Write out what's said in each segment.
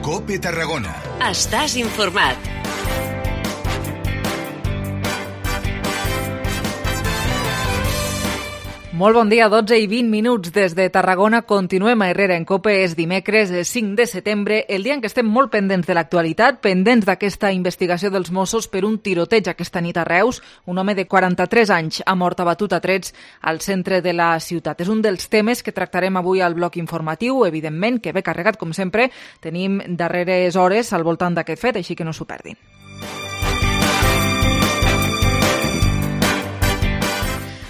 COPE Tarragona. Estàs informat. Molt bon dia, 12 i 20 minuts des de Tarragona. Continuem a Herrera en COPE. És dimecres, 5 de setembre, el dia en què estem molt pendents de l'actualitat, pendents d'aquesta investigació dels Mossos per un tiroteig aquesta nit a Reus. Un home de 43 anys ha mort abatut a trets al centre de la ciutat. És un dels temes que tractarem avui al bloc informatiu, evidentment, que ve carregat, com sempre. Tenim darreres hores al voltant d'aquest fet, així que no s'ho perdin.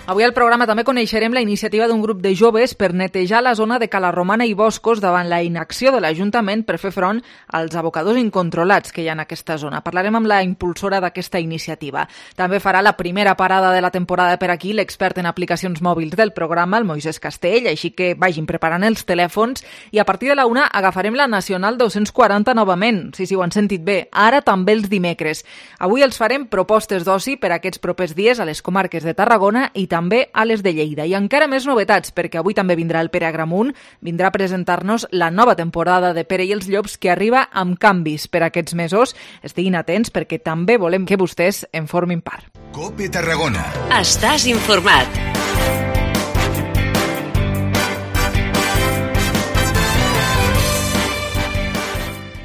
Avui al programa també coneixerem la iniciativa d'un grup de joves per netejar la zona de Cala Romana i Boscos davant la inacció de l'Ajuntament per fer front als abocadors incontrolats que hi ha en aquesta zona. Parlarem amb la impulsora d'aquesta iniciativa. També farà la primera parada de la temporada per aquí l'expert en aplicacions mòbils del programa, el Moisés Castell, així que vagin preparant els telèfons i a partir de la 1 agafarem la Nacional 240 novament. Sí, ho han sentit bé. Ara també els dimecres. Avui els farem propostes d'oci per aquests propers dies a les comarques de Tarragona i també a les de Lleida. I encara més novetats, perquè avui també vindrà el Pere Agramunt, vindrà a presentar-nos la nova temporada de Pere i els Llops que arriba amb canvis per aquests mesos. Estiguin atents perquè també volem que vostès en formin part. COPE Tarragona. Estàs informat.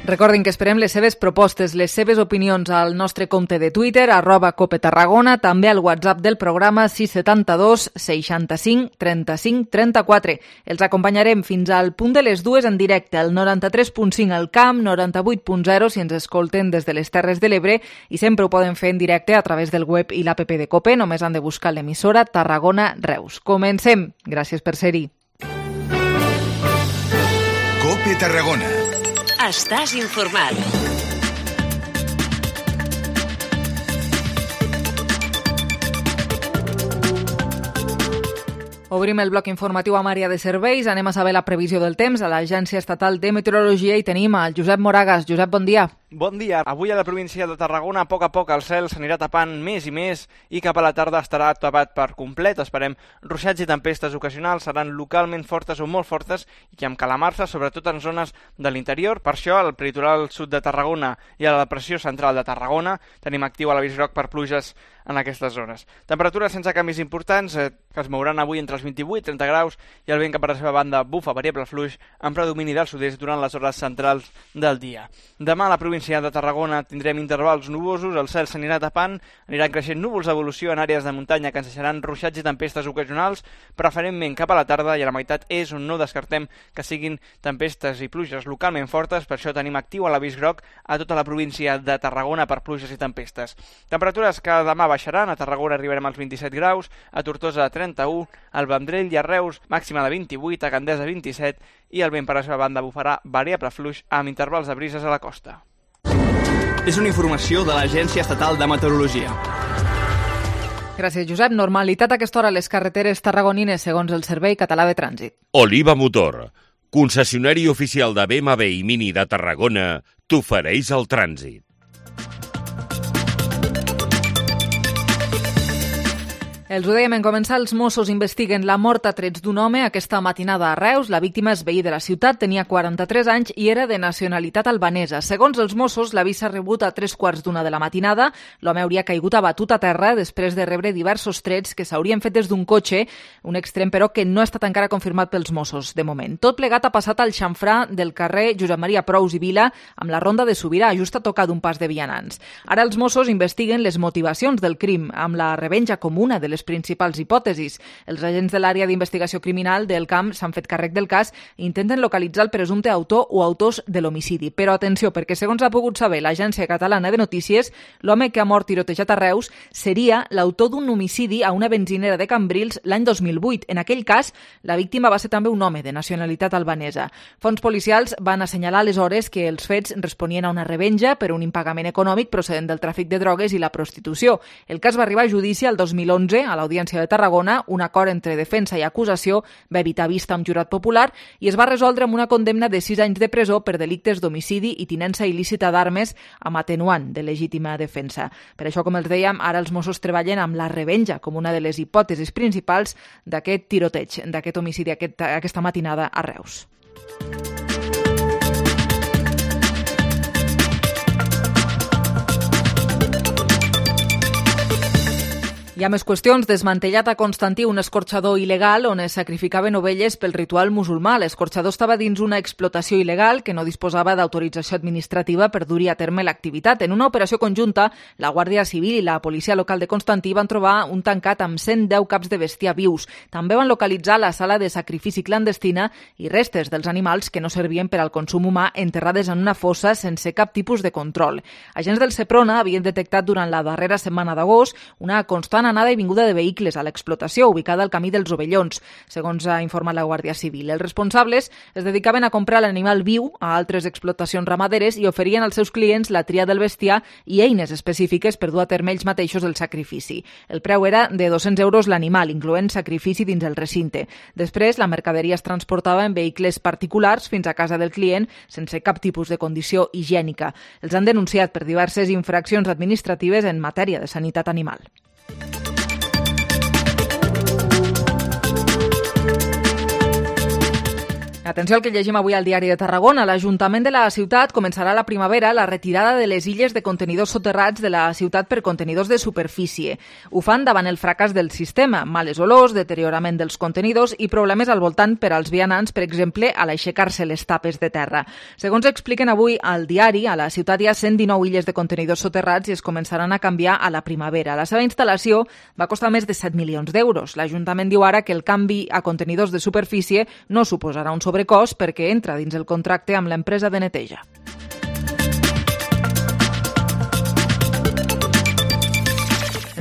Recordin que esperem les seves propostes, les seves opinions al nostre compte de Twitter, @COPETarragona, també al WhatsApp del programa 672 65 35 34. Els acompanyarem fins al punt de les 2 en directe, al 93.5 al Camp, 98.0 si ens escolten des de les Terres de l'Ebre i sempre ho poden fer en directe a través del web i l'app de COPE, només han de buscar l'emissora Tarragona Reus. Comencem. Gràcies per ser-hi. COPE Tarragona. Estàs informat. Obrim el bloc informatiu amb àrea de serveis. Anem a saber la previsió del temps a l'Agència Estatal de Meteorologia i tenim el Josep Moragas. Josep, bon dia. Bon dia. Avui a la província de Tarragona, a poc el cel s'anirà tapant més i més i cap a la tarda estarà tapat per complet. Esperem ruixats i tempestes ocasionals, seran localment fortes o molt fortes i amb calamarsa, sobretot en zones de l'interior. Per això, al peritoral sud de Tarragona i a la depressió central de Tarragona tenim actiu a l'avís groc per pluges en aquestes zones. Temperatures sense canvis importants que es mouran avui entre els 28 i 30 graus i el vent cap a la seva banda bufa variable fluix amb predomini del sud-est durant les hores centrals del dia. Demà a la província de Tarragona tindrem intervals nuvosos, el cel s'anirà tapant, aniran creixent núvols d'evolució en àrees de muntanya que ens deixaran ruixats i tempestes ocasionals, preferentment cap a la tarda, i a la meitat és on no descartem que siguin tempestes i pluges localment fortes. Per això tenim actiu a l'avís groc a tota la província de Tarragona per pluges i tempestes. Temperatures que demà baixaran, a Tarragona arribarem als 27 graus, a Tortosa 31, al Vendrell i a Reus màxima de 28, a Gandesa 27 i el vent per la seva banda bufarà variable fluix amb intervals de brises a la costa. És una informació de l'Agència Estatal de Meteorologia. Gràcies, Josep. Normalitat a aquesta hora a les carreteres tarragonines segons el Servei Català de Trànsit. Oliva Motor, concessionari oficial de BMW i Mini de Tarragona, t'ofereix el trànsit. Els ho dèiem en començar, els Mossos investiguen la mort a trets d'un home aquesta matinada a Reus. La víctima és veí de la ciutat, tenia 43 anys i era de nacionalitat albanesa. Segons els Mossos, l'avís s'ha rebut a 3:15 de la matinada. L'home hauria caigut abatut a terra després de rebre diversos trets que s'haurien fet des d'un cotxe, un extrem però que no ha estat encara confirmat pels Mossos de moment. Tot plegat ha passat al xamfrà del carrer Josep Maria Prous i Vila amb la ronda de Sobirà, just a tocar d'un pas de vianants. Ara els Mossos investiguen les motivacions del crim amb la revenja com una de les principals hipòtesis. Els agents de l'àrea d'investigació criminal del Camp s'han fet càrrec del cas i intenten localitzar el presumpte autor o autors de l'homicidi. Però atenció, perquè segons ha pogut saber l'Agència Catalana de Notícies, l'home que ha mort tirotejat a Reus seria l'autor d'un homicidi a una benzinera de Cambrils l'any 2008. En aquell cas, la víctima va ser també un home de nacionalitat albanesa. Fonts policials van assenyalar aleshores que els fets responien a una revenja per un impagament econòmic procedent del tràfic de drogues i la prostitució. El cas va arribar a judici el 2011 a l'Audiència de Tarragona. Un acord entre defensa i acusació va evitar vista amb jurat popular i es va resoldre amb una condemna de 6 anys de presó per delictes d'homicidi i tinença il·lícita d'armes amb atenuant de legítima defensa. Per això, com els dèiem, ara els Mossos treballen amb la revenja com una de les hipòtesis principals d'aquest tiroteig, d'aquest homicidi aquesta matinada a Reus. Hi ha més qüestions. Desmantellat a Constantí un escorxador il·legal on es sacrificaven ovelles pel ritual musulmà. L'escorxador estava dins una explotació il·legal que no disposava d'autorització administrativa per dur-hi a terme l'activitat. En una operació conjunta, la Guàrdia Civil i la policia local de Constantí van trobar un tancat amb 110 caps de bestiar vius. També van localitzar la sala de sacrifici clandestina i restes dels animals que no servien per al consum humà enterrades en una fossa sense cap tipus de control. Agents del Seprona havien detectat durant la darrera setmana d'agost una constant anada i vinguda de vehicles a l'explotació ubicada al camí dels Ovellons, segons ha informat la Guàrdia Civil. Els responsables es dedicaven a comprar l'animal viu a altres explotacions ramaderes i oferien als seus clients la tria del bestiar i eines específiques per dur a terme ells mateixos el sacrifici. El preu era de 200 euros l'animal, incloent sacrifici dins el recinte. Després, la mercaderia es transportava en vehicles particulars fins a casa del client sense cap tipus de condició higiènica. Els han denunciat per diverses infraccions administratives en matèria de sanitat animal. Atenció al que llegim avui al Diari de Tarragona. L'Ajuntament de la ciutat començarà a la primavera la retirada de les illes de contenidors soterrats de la ciutat per contenidors de superfície. Ho fan davant el fracàs del sistema, males olors, deteriorament dels contenidors i problemes al voltant per als vianants, per exemple, a l'aixecar-se les tapes de terra. Segons expliquen avui al diari, a la ciutat hi ha 119 illes de contenidors soterrats i es començaran a canviar a la primavera. La seva instal·lació va costar més de 7 milions d'euros. L'Ajuntament diu ara que el canvi a contenidors de superfície no suposarà un sobrecost perquè entra dins el contracte amb l'empresa de neteja.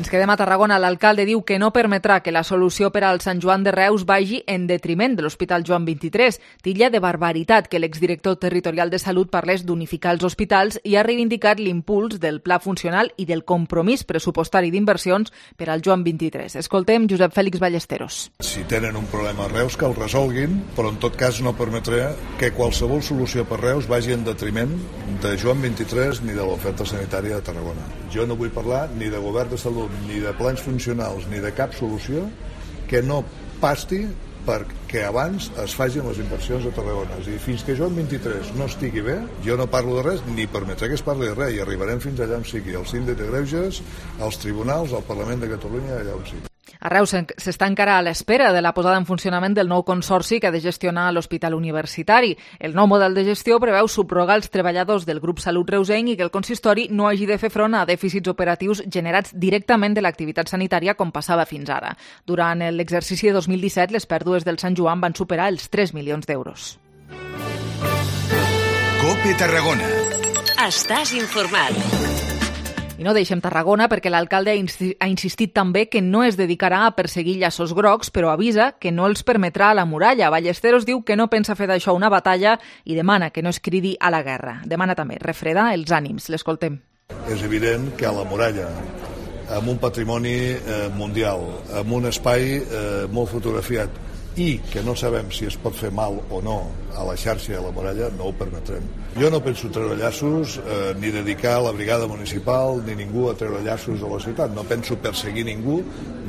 Ens quedem a Tarragona. L'alcalde diu que no permetrà que la solució per al Sant Joan de Reus vagi en detriment de l'Hospital Joan XXIII. Titlla de barbaritat que l'exdirector territorial de Salut parlés d'unificar els hospitals i ha reivindicat l'impuls del pla funcional i del compromís pressupostari d'inversions per al Joan XXIII. Escoltem Josep Fèlix Ballesteros. Si tenen un problema a Reus, que el resolguin, però en tot cas no permetré que qualsevol solució per Reus vagi en detriment de Joan XXIII ni de l'oferta sanitària de Tarragona. Jo no vull parlar ni de govern de salut, ni de plans funcionals, ni de cap solució que no pasti perquè abans es facin les inversions a Tarragona. És a dir, fins que Joan XXIII no estigui bé, jo no parlo de res, ni permetré que es parli de res, i arribarem fins allà on sigui, al síndic de Greuges, als tribunals, al Parlament de Catalunya, allà on sigui. A Reus s'està encara a l'espera de la posada en funcionament del nou consorci que ha de gestionar l'Hospital Universitari. El nou model de gestió preveu subrogar els treballadors del grup Salut Reusenc i que el consistori no hagi de fer front a dèficits operatius generats directament de l'activitat sanitària com passava fins ara. Durant l'exercici de 2017, les pèrdues del Sant Joan van superar els 3 milions d'euros. COPE Tarragona. Estàs informat. I no deixem Tarragona perquè l'alcalde ha insistit també que no es dedicarà a perseguir llaços grocs, però avisa que no els permetrà a la muralla. Ballesteros diu que no pensa fer d'això una batalla i demana que no es cridi a la guerra. Demana també refredar els ànims. L'escoltem. És evident que a la muralla, amb un patrimoni mundial, amb un espai molt fotografiat i que no sabem si es pot fer mal o no a la xarxa de la muralla, no ho permetrem. Jo no penso treure llaços, ni dedicar la brigada municipal, ni ningú a treure llaços a la ciutat. No penso perseguir ningú,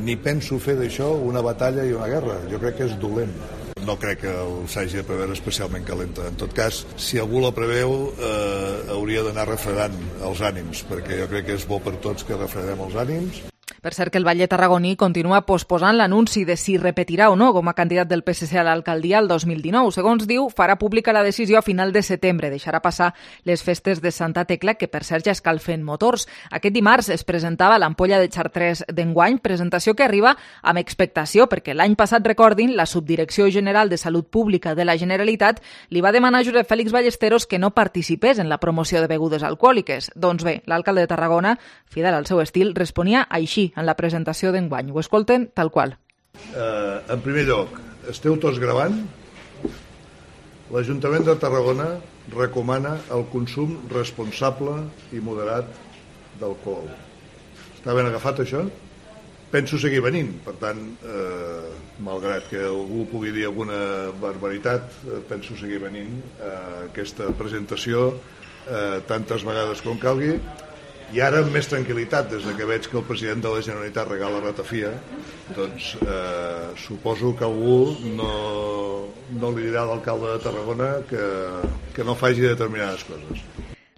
ni penso fer d'això una batalla i una guerra. Jo crec que és dolent. No crec que s'hagi de preveure especialment calenta. En tot cas, si algú la preveu, hauria d'anar refredant els ànims, perquè jo crec que és bo per tots que refredem els ànims. Per cert que el batlle tarragoní continua posposant l'anunci de si repetirà o no com a candidat del PSC a l'alcaldia el 2019. Segons diu, farà pública la decisió a final de setembre. Deixarà passar les festes de Santa Tecla, que per cert ja escalfen motors. Aquest dimarts es presentava l'ampolla de Chartres d'enguany, presentació que arriba amb expectació, perquè l'any passat, recordin, la Subdirecció General de Salut Pública de la Generalitat li va demanar a Josep Fèlix Ballesteros que no participés en la promoció de begudes alcohòliques. Doncs bé, l'alcalde de Tarragona, fidel al seu estil, responia així en la presentació d'enguany. Ho escolten tal qual. En primer lloc, esteu tots gravant? L'Ajuntament de Tarragona recomana el consum responsable i moderat d'alcohol. Està ben agafat, això? Penso seguir venint, per tant, malgrat que algú pugui dir alguna barbaritat, penso seguir venint a aquesta presentació tantes vegades com calgui. I ara amb més tranquil·litat, des que veig que el president de la Generalitat regala ratafia, doncs suposo que algú no li dirà a l'alcalde de Tarragona que no faci determinades coses.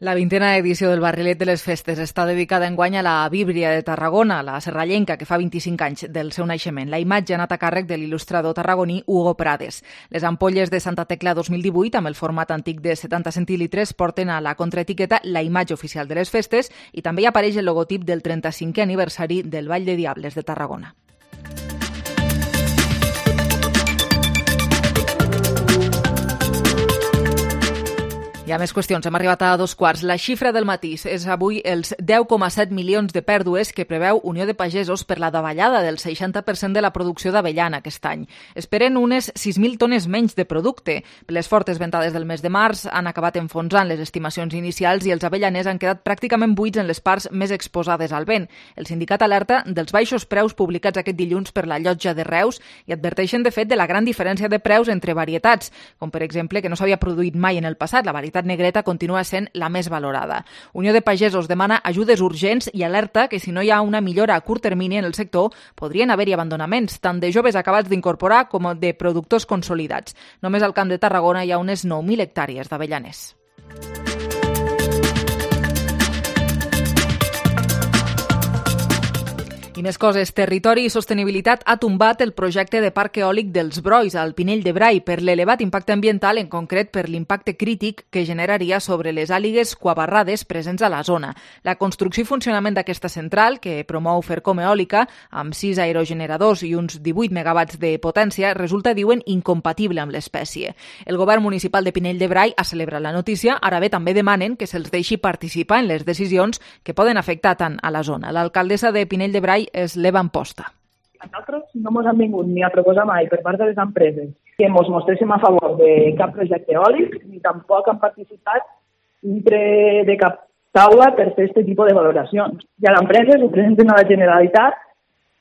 La 20a edició del Barrilet de les Festes està dedicada enguany a la Víbria de Tarragona, la serrallenca que fa 25 anys del seu naixement. La imatge ha anat a càrrec de l'il·lustrador tarragoní Hugo Prades. Les ampolles de Santa Tecla 2018, amb el format antic de 70 centilitres, porten a la contraetiqueta la imatge oficial de les festes i també hi apareix el logotip del 35è aniversari del Ball de Diables de Tarragona. Hi ha més qüestions. Hem arribat a 2:15. La xifra del matís és avui els 10,7 milions de pèrdues que preveu Unió de Pagesos per la davallada del 60% de la producció d'avellana aquest any. Esperen unes 6.000 tones menys de producte. Les fortes ventades del mes de març han acabat enfonsant les estimacions inicials i els avellaners han quedat pràcticament buits en les parts més exposades al vent. El sindicat alerta dels baixos preus publicats aquest dilluns per la Llotja de Reus i adverteixen, de fet, de la gran diferència de preus entre varietats, com per exemple que no s'havia produït mai en el passat. La varietat negreta continua sent la més valorada. Unió de Pagesos demana ajudes urgents i alerta que si no hi ha una millora a curt termini en el sector podrien haver-hi abandonaments, tant de joves acabats d'incorporar com de productors consolidats. Només al Camp de Tarragona hi ha unes 9.000 hectàrees d'avellaners. I més coses. Territori i Sostenibilitat ha tombat el projecte de parc eòlic dels Brois al Pinell de Brai per l'elevat impacte ambiental, en concret per l'impacte crític que generaria sobre les àligues quabarrades presents a la zona. La construcció i funcionament d'aquesta central, que promou Fercom Eòlica, amb 6 aerogeneradors i uns 18 megawatts de potència, resulta, diuen, incompatible amb l'espècie. El govern municipal de Pinell de Brai ha celebrat la notícia, ara bé també demanen que se'ls deixi participar en les decisions que poden afectar tant a la zona. L'alcaldessa de Pinell de Brai és l'Eva Amposta. A nosaltres no ens han vingut ni a proposar mai per part de les empreses que ens mostréssim a favor de cap projecte eòlic, ni tampoc han participat dintre de cap taula per fer aquest tipus de valoracions. Hi ha empreses que presenten a la Generalitat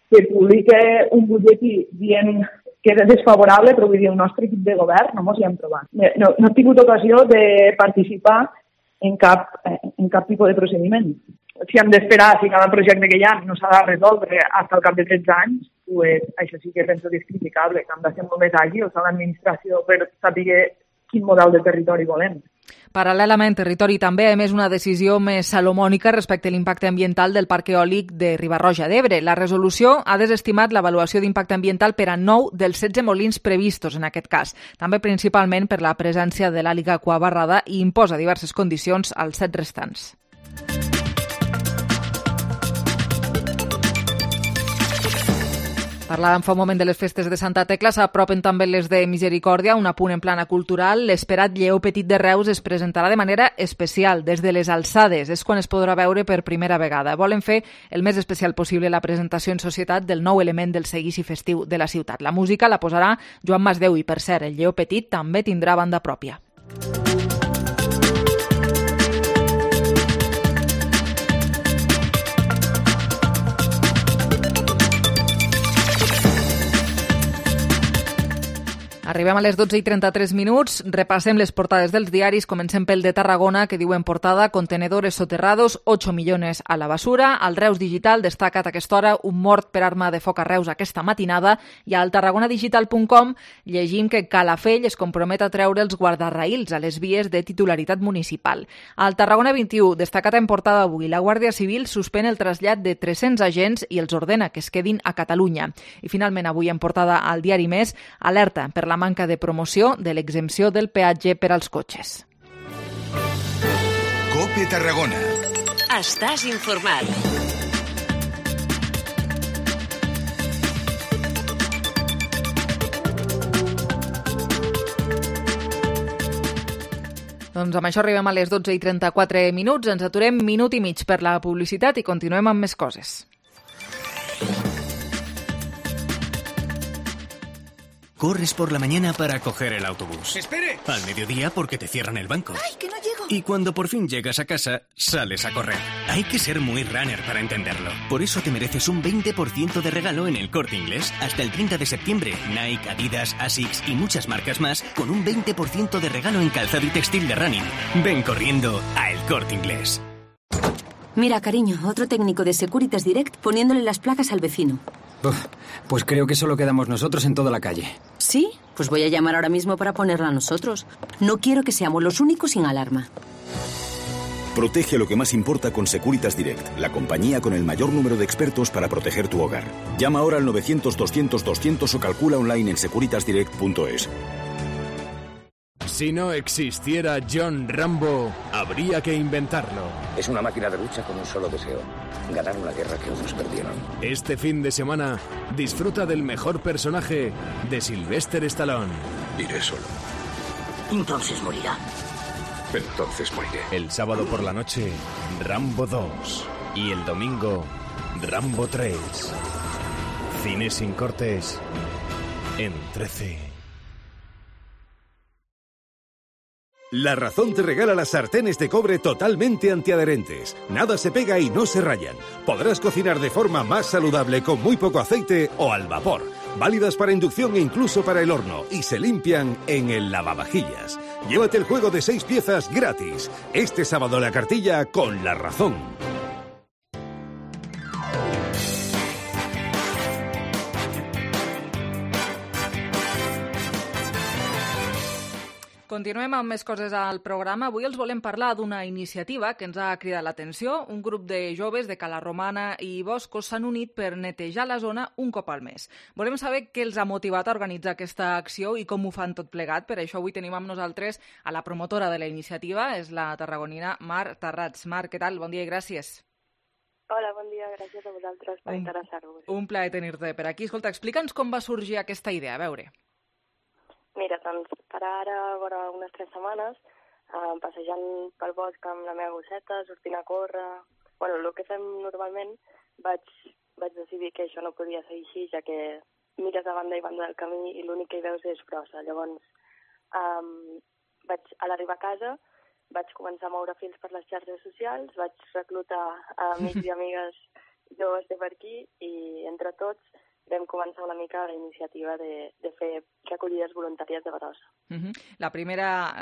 que publica un butlletí dient que és desfavorable, però vull dir, el nostre equip de govern no ens hi hem trobat. No he tingut ocasió de participar en cap tipus de procediment. Si hem d'esperar, si cada projecte que hi ha no s'ha de resoldre fins al cap de 13 anys, pues, això sí que penso que és criticable, que hem de ser molt més àgils a l'administració per saber quin model de territori volem. Paral·lelament, Territori també ha emès una decisió més salomònica respecte a l'impacte ambiental del parc eòlic de Riba-roja d'Ebre. La resolució ha desestimat l'avaluació d'impacte ambiental per a 9 dels 16 molins previstos en aquest cas, també principalment per la presència de l'àliga quabarrada i imposa diverses condicions als 7 restants. Parlàvem fa un moment de les festes de Santa Tecla, s'apropen també les de Misericòrdia, un apunt en plana cultural. L'esperat Lleó Petit de Reus es presentarà de manera especial, des de les alçades. És quan es podrà veure per primera vegada. Volen fer el més especial possible la presentació en societat del nou element del seguici festiu de la ciutat. La música la posarà Joan Masdeu i, per cert, el Lleó Petit també tindrà banda pròpia. Arribem a les 12:33, repassem les portades dels diaris, comencem pel de Tarragona, que diu en portada contenedores soterrados, 8 millones a la basura. Al Reus Digital destaca a aquesta hora un mort per arma de foc a Reus aquesta matinada, i al tarragonadigital.com llegim que Calafell es compromet a treure els guardarraïls a les vies de titularitat municipal. Al Tarragona 21, destacat en portada avui, la Guàrdia Civil suspèn el trasllat de 300 agents i els ordena que es quedin a Catalunya. I finalment avui en portada al diari Més, alerta per la manca de promoció de l'exempció del peatge per als cotxes. COPE Tarragona. Estàs informat. Doncs amb això arribem a les 12:34. Ens aturem minut i mig per la publicitat i continuem amb més coses. Corres por la mañana para coger el autobús. ¡Espere! Al mediodía porque te cierran el banco. ¡Ay, que no llego! Y cuando por fin llegas a casa, sales a correr. Hay que ser muy runner para entenderlo. Por eso te mereces un 20% de regalo en El Corte Inglés. Hasta el 30 de septiembre, Nike, Adidas, Asics y muchas marcas más con un 20% de regalo en calzado y textil de running. Ven corriendo a El Corte Inglés. Mira, cariño, otro técnico de Securitas Direct poniéndole las placas al vecino. Pues creo que solo quedamos nosotros en toda la calle. ¿Sí? Pues voy a llamar ahora mismo para ponerla a nosotros. No quiero que seamos los únicos sin alarma. Protege lo que más importa con Securitas Direct, la compañía con el mayor número de expertos para proteger tu hogar. Llama ahora al 900-200-200 o calcula online en securitasdirect.es. Si no existiera John Rambo, habría que inventarlo. Es una máquina de lucha con un solo deseo: ganar una guerra que otros perdieron. Este fin de semana, disfruta del mejor personaje de Sylvester Stallone. Iré solo. Entonces morirá. Entonces moriré. El sábado por la noche, Rambo 2. Y el domingo, Rambo 3. Cine sin cortes en 13. La Razón te regala las sartenes de cobre totalmente antiadherentes. Nada se pega y no se rayan. Podrás cocinar de forma más saludable con muy poco aceite o al vapor. Válidas para inducción e incluso para el horno. Y se limpian en el lavavajillas. Llévate el juego de 6 piezas gratis. Este sábado la cartilla con La Razón. Continuem amb més coses al programa. Avui els volem parlar d'una iniciativa que ens ha cridat l'atenció. Un grup de joves de Cala Romana i Boscos s'han unit per netejar la zona un cop al mes. Volem saber què els ha motivat a organitzar aquesta acció i com ho fan tot plegat. Per això avui tenim amb nosaltres a la promotora de la iniciativa, és la tarragonina Mar Tarrats. Mar, què tal? Bon dia i gràcies. Hola, bon dia. Gràcies a vosaltres per interessar-vos. Un plaer tenir-te per aquí. Escolta, explica'ns com va sorgir aquesta idea. A veure. Mira, doncs, per ara, vora unes 3 setmanes, passejant pel bosc amb la meva gosseta, sortint a córrer... Bueno, el que fem normalment, vaig decidir que això no podia ser així, ja que mires a banda i banda del camí i l'únic que hi veus és brossa. Llavors, a l'arribar a casa, vaig començar a moure fils per les xarxes socials, vaig reclutar amics i amigues joves de per aquí i, entre tots, vam començar una mica la iniciativa de fer recollides voluntàries de brossa. La primera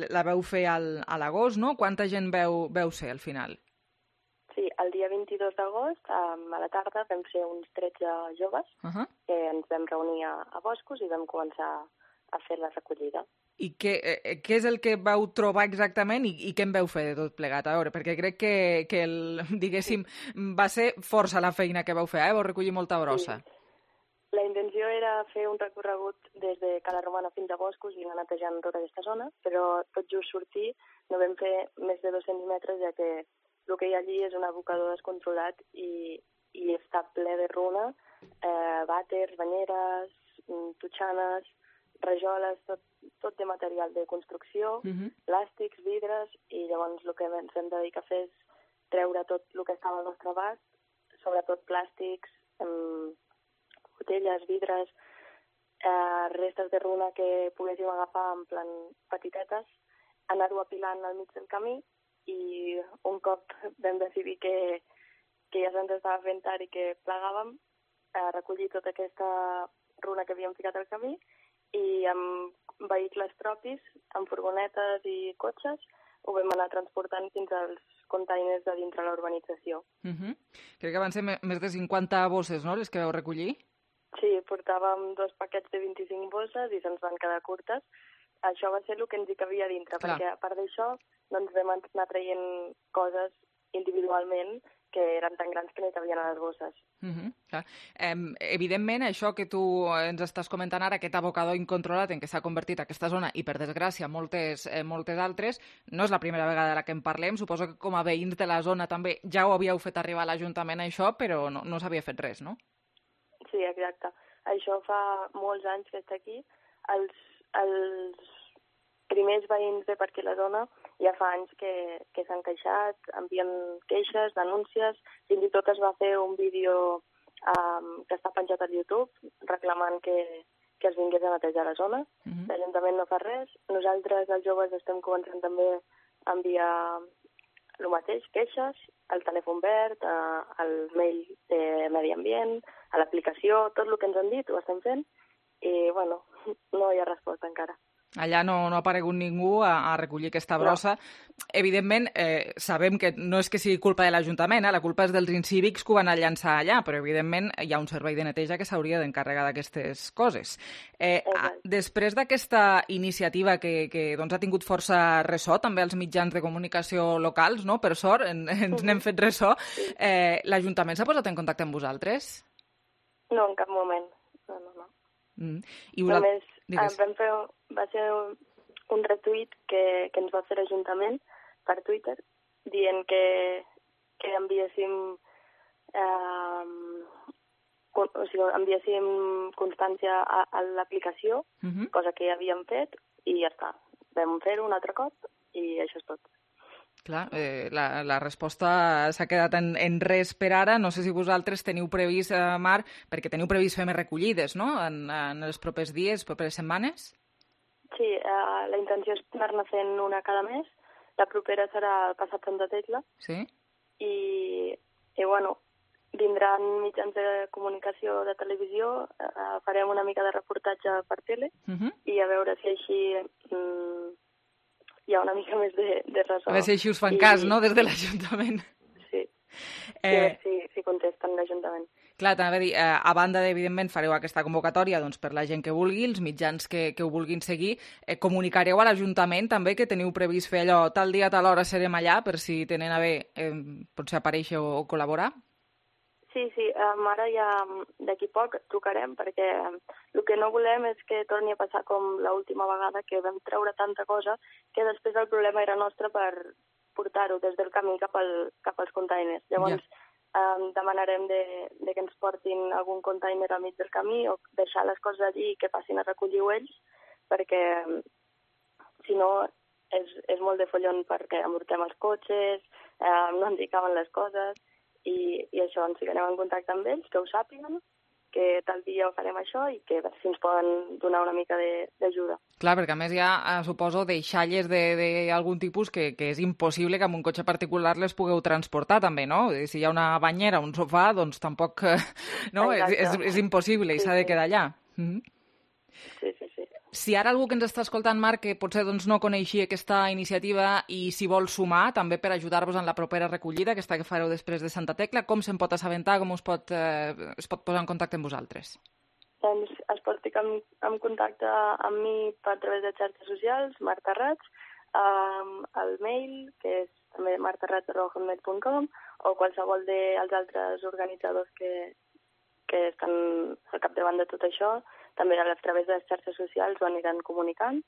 la veu fer a l'agost, no? Quanta gent veu ser al final? Sí, el dia 22 d'agost, a la tarda, vam ser uns 13 joves que ens vam reunir a Boscos i vam començar a fer la recollida. I què és el que vau trobar exactament i què en vau fer de tot plegat? A veure, perquè crec que diguéssim, va ser força la feina que vau fer, vau recollir molta brossa. Sí. La intenció era fer un recorregut des de Cala Romana fins a Boscos i anar netejant tota aquesta zona, però tot just sortir no vam fer més de 200 metres, ja que el que hi ha allí és un abocador descontrolat i està ple de runa, vàters, banyeres, totxanes, rajoles, tot de material de construcció, plàstics, vidres, i llavors el que ens hem dedicat a fer és treure tot el que estava al nostre abast, sobretot plàstics, botelles, vidres, restes de runa que poguéssim agafar en plan petitetes, anar-ho apilant al mig del camí i un cop vam decidir que ja se'ns estava fent tard i que plegàvem, recollir tota aquesta runa que havíem ficat al camí i amb vehicles propis, amb furgonetes i cotxes, ho vam anar transportant fins als containers de dintre la urbanització. Crec que van ser més de 50 bosses, no?, les que vau recollir? Sí, portàvem 2 paquets de 25 bosses i se'ns van quedar curtes. Això va ser el que ens hi cabia dintre, perquè a part d'això doncs vam anar traient coses individualment que eren tan grans que no hi cabien a les bosses. Evidentment, això que tu ens estàs comentant ara, aquest abocador incontrolat en què s'ha convertit aquesta zona i, per desgràcia, moltes altres, no és la primera vegada que en parlem. Suposo que com a veïns de la zona també ja ho havíeu fet arribar a l'Ajuntament, això, però no s'havia fet res, no? Sí, exacte. Això fa molts anys que està aquí. Els primers veïns de per aquí la zona ja fa anys que s'han queixat, envien queixes, denúncies, fins i tot es va fer un vídeo que està penjat al YouTube reclamant que es vingués a netejar la zona. L'Ajuntament no fa res. Nosaltres, els joves, estem començant també a enviar el mateix, queixes, al telèfon verd, al mail de Medi Ambient, a l'aplicació, tot el que ens han dit ho estem fent i, bueno, no hi ha resposta encara. Allà no ha aparegut ningú a recollir aquesta brossa. No. Evidentment, sabem que no és que sigui culpa de l'Ajuntament, la culpa és dels incívics que ho van llançar allà, però evidentment hi ha un servei de neteja que s'hauria d'encarregar d'aquestes coses. Després d'aquesta iniciativa que doncs, ha tingut força ressò, també als mitjans de comunicació locals, no? Per sort, ens n'hem fet ressò, l'Ajuntament s'ha posat en contacte amb vosaltres? No, en cap moment. No. I només va ser un retuit que ens va fer l'Ajuntament per Twitter dient que enviéssim enviéssim constància a l'aplicació, cosa que ja havíem fet, i ja està. Vam fer-ho un altre cop i això és tot. Clar, la resposta s'ha quedat en res per ara. No sé si vosaltres teniu previst, Mar, perquè teniu previst fer més recollides, no?, en els propers dies, properes setmanes? Sí, la intenció és anar-ne fent una cada mes. La propera serà el passat Santa Tecla. Sí. I bueno, vindran mitjans de comunicació de televisió, farem una mica de reportatge per tele i a veure si així hi ha una mica més de ressò. A veure si així us fan cas, no?, des de l'Ajuntament. Sí. A veure si contesten l'Ajuntament. Clar, t'anava a dir, a banda d'evidentment fareu aquesta convocatòria doncs, per la gent que vulgui, els mitjans que ho vulguin seguir, comunicareu a l'Ajuntament també que teniu previst fer allò, tal dia, tal hora serem allà, per si tenen a bé potser aparèixer o col·laborar? Sí, ara ja d'aquí poc trucarem, perquè el que no volem és que torni a passar com l'última vegada, que vam treure tanta cosa que després el problema era nostre per portar-ho des del camí cap als containers. Llavors, demanarem que ens portin algun container al mig del camí o deixar les coses allí i que passin a recollir-ho ells, perquè si no és molt de follon perquè amortem els cotxes, no ens hi caben les coses i això, ens ficarem en contacte amb ells, que ho sàpiguen, que tal dia ho farem això i que si ens poden donar una mica d'ajuda. Clar, perquè a més hi ha, suposo, deixalles d'algun tipus que és impossible que amb un cotxe particular les pugueu transportar també, no? Si hi ha una banyera, un sofà, doncs tampoc, no? És impossible i s'ha de quedar allà. Sí. Si ara algú que ens està escoltant, Marc, que potser doncs, no coneixia aquesta iniciativa i s'hi vol sumar també per ajudar-vos en la propera recollida, aquesta que fareu després de Santa Tecla, com se'n pot assabentar, com es pot posar en contacte amb vosaltres? Doncs es pot ficar en contacte amb mi a través de xarxes socials, Marta Rats, el mail, que és també martarats@hotmail.com, o qualsevol dels altres organitzadors que estan al capdavant de tot això. També a través de les xarxes socials ho aniran comunicant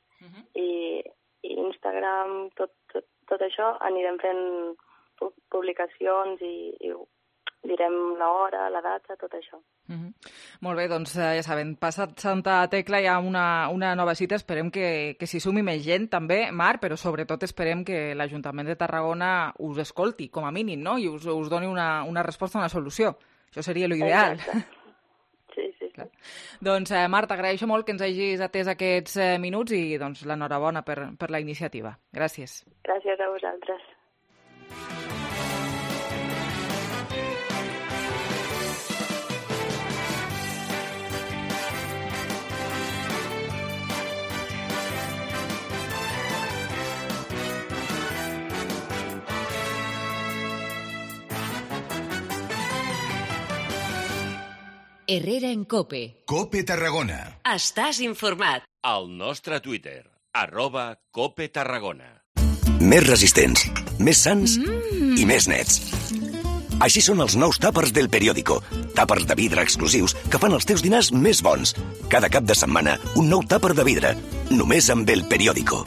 i Instagram, tot això, anirem fent publicacions i direm l'hora, la data, tot això. Molt bé, doncs ja saben, passat Santa Tecla hi ha una nova cita, esperem que s'hi sumi més gent també, Marc, però sobretot esperem que l'Ajuntament de Tarragona us escolti, com a mínim, no?, i us doni una resposta, una solució. Això seria l'ideal. Sí. Doncs, Marc, t'agraeixo molt que ens hagis atès aquests minuts i doncs, l'enhorabona per la iniciativa. Gràcies. Gràcies a vosaltres. Herrera en COPE. COPE Tarragona. Estàs informat. Al nostre Twitter, @COPE Tarragona. Més resistents, més sans i més nets. Així són els nous tàpers del Periódico. Tàpers de vidre exclusius que fan els teus dinars més bons. Cada cap de setmana, un nou tàper de vidre. Només amb el Periódico.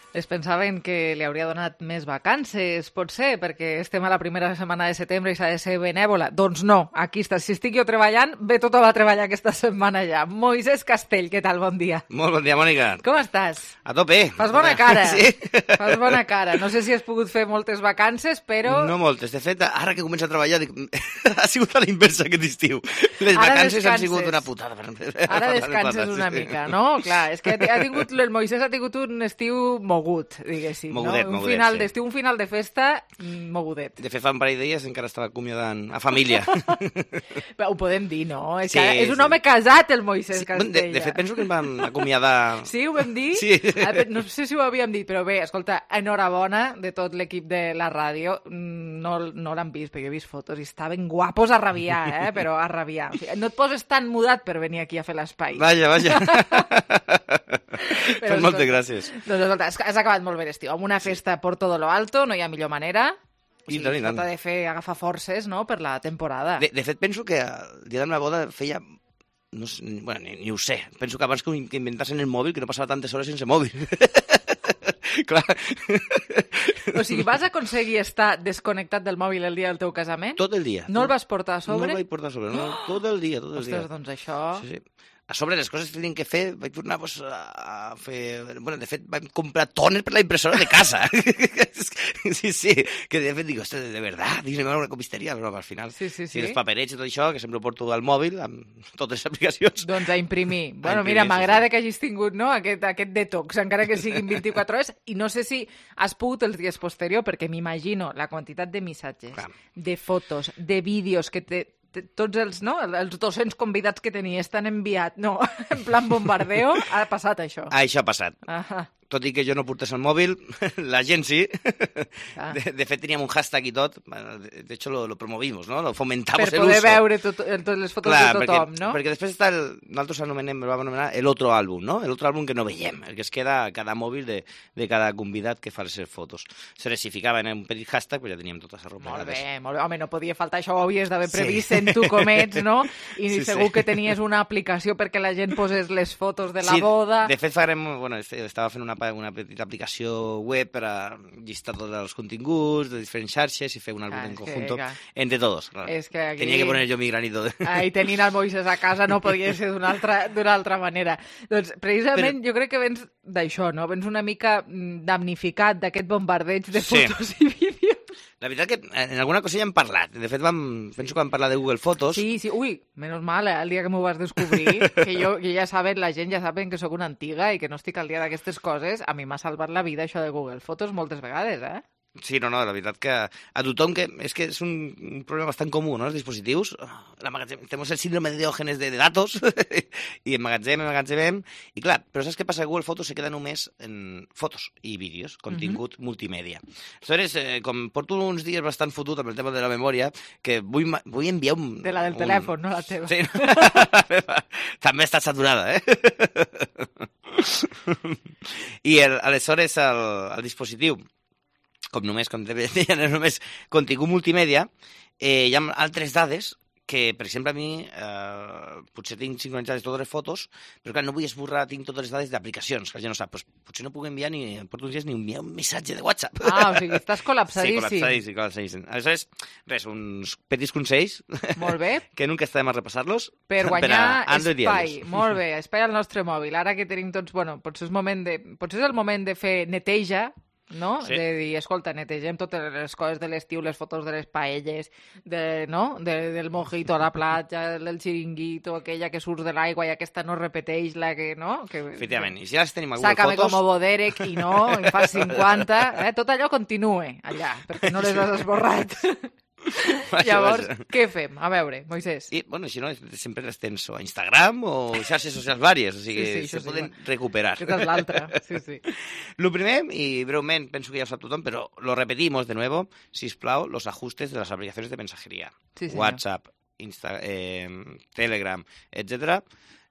Es pensaven que li hauria donat més vacances, potser, perquè estem a la primera setmana de setembre i s'ha de ser benèvola. Doncs no, aquí està. Si estic jo treballant, ve tothom a treballar aquesta setmana ja. Moisès Castell, què tal? Bon dia. Molt bon dia, Mònica. Com estàs? A tope. Fas bona cara. Sí. Fas bona cara. No sé si has pogut fer moltes vacances, però... No moltes. De fet, ara que comença a treballar, dic, ha sigut a l'inversa aquest estiu. Les vacances han sigut una putada. Ara descanses una mica, no? Clar, és que el Moisès ha tingut un estiu mogut, diguéssim. Mogudet, no? mogudet, final sí. d'estiu, un final de festa mogudet. De fet, fa un parell de dies encara estava acomiadant a família. Però ho podem dir, no? És, Sí, que és un sí. home casat, el Moisès Castella. De fet, penso que em van acomiadar... Sí, ho vam dir? Sí. No sé si ho havíem dit, però bé, escolta, enhorabona de tot l'equip de la ràdio. No l'han vist, però jo he vist fotos i estaven guapos a rabiar, però a rabiar. O sigui, no et poses tan mudat per venir aquí a fer l'espai. Vaja. Però, Pues moltes gràcies. Doncs escolta, has acabat molt bé l'estiu. Amb una festa por todo lo alto, no hi ha millor manera. O sigui, I tant. s'ha de agafar forces, no?, per la temporada. De fet, penso que el dia de la meva boda feia... No sé, bueno, ni ho sé. Penso que abans que inventassen el mòbil, que no passava tantes hores sense mòbil. Clar. O sigui, vas aconseguir estar desconnectat del mòbil el dia del teu casament? Tot el dia. No el vas portar a sobre? No el vaig portar a sobre, no. Tot el dia. Ostres, doncs això... Sí. A sobre les coses que tenien que fer, vaig tornar a fer... Bueno, de fet, vaig comprar tòner per la impressora de casa. Sí, que de fet dic, ostres, de verdad, dic, anem a una copisteria, però al final, sí. els paperets i tot això, que sempre ho porto al mòbil, amb totes les aplicacions. Doncs a imprimir. Bueno, mira, m'agrada que hagis tingut, no?, aquest detox, encara que siguin 24 hores, i no sé si has pogut els dies posteriors, perquè m'imagino la quantitat de missatges, de fotos, de vídeos que tots els 200 convidats que tenies t'han enviat, no, en plan bombardeo, ha passat això. Això ha passat. Tot i que jo no portés el mòbil, la gent sí. De fet, teníem un hashtag i tot. De hecho, lo promovimos, ¿no? Lo fomentamos el uso. Per poder veure totes les fotos de tothom, no? Perquè després està nosaltres el vam anomenar el otro àlbum, no? El otro àlbum que no veiem, el que es queda a cada mòbil de cada convidat que fa les fotos. Se les ficaven en un petit hashtag, però ja teníem totes arropegades. Molt bé. Home, no podia faltar això, ho havies d'haver previst sent tu com ets, no? I segur que tenies una aplicació perquè la gent posés les fotos de la boda. De fet, estava fent una petita aplicació web per a llistar tots els continguts de diferents xarxes i fer un àlbum en conjunto entre todos. És que aquí... Tenia que poner jo mi granito. I tenint el Moisès a casa no podia ser d'una altra manera. Doncs precisament jo crec que vens d'això, no? Vens una mica damnificat d'aquest bombardeig de fotos i vídeos. La veritat que en alguna cosa ja hem parlat. De fet, penso que vam parlar de Google Fotos. Sí. Ui, menys mal, el dia que m'ho vas descobrir, que ja saben, la gent ja saben que sóc una antiga i que no estic al dia d'aquestes coses. A mi m'ha salvat la vida això de Google Fotos moltes vegades, Sí, no, la veritat que a tothom que... És que és un problema bastant comú, no?, els dispositius. Tenim el síndrome de Diògenes de datos i emmagatzemem. I clar, però saps què passa? Google Fotos se queda només en fotos i vídeos, contingut multimèdia. Aleshores, com porto uns dies bastant fotut amb el tema de la memòria, que vull enviar un... De la del telèfon, no la teva. Sí, també està saturada, I aleshores el dispositiu, com només contingut multimèdia, hi ha altres dades que, per exemple, a mi potser tinc sincronitzades totes les fotos, però clar, no vull esborrar, tinc totes les dades d'aplicacions, que la gent no sap. Potser no puc enviar porto uns dies ni enviar un missatge de WhatsApp. O sigui, estàs col·lapsadíssim. Sí, col·lapsadíssim. Aleshores, res, uns petits consells. Molt bé. Que nunca està de més repassar-los. Per guanyar espai. Molt bé, espai al nostre mòbil. Ara que tenim tots, potser és el moment de fer neteja, no? Sí. De dir, escolta, netegem totes les coses de l'estiu, les fotos de les paelles, del mojito a la platja, del xiringuito, aquella que surt de l'aigua i aquesta no repeteix la que, no? Efectivament, i si ja les tenim a Google Sácame Fotos... como Boderek i no, en fas 50, tot allò continue allà, perquè no les has esborrat. Llavors, què fem? A veure, Moisès. I, si no, sempre les tens a Instagram o xarxes socials vàries, o sigui, se poden recuperar. Aquesta és l'altra, sí. Lo primer, y brevemente, penso que ya lo sabe tothom, pero lo repetimos de nuevo, sisplau, los ajustes de las aplicaciones de mensajería. Sí, WhatsApp, Telegram, etcétera.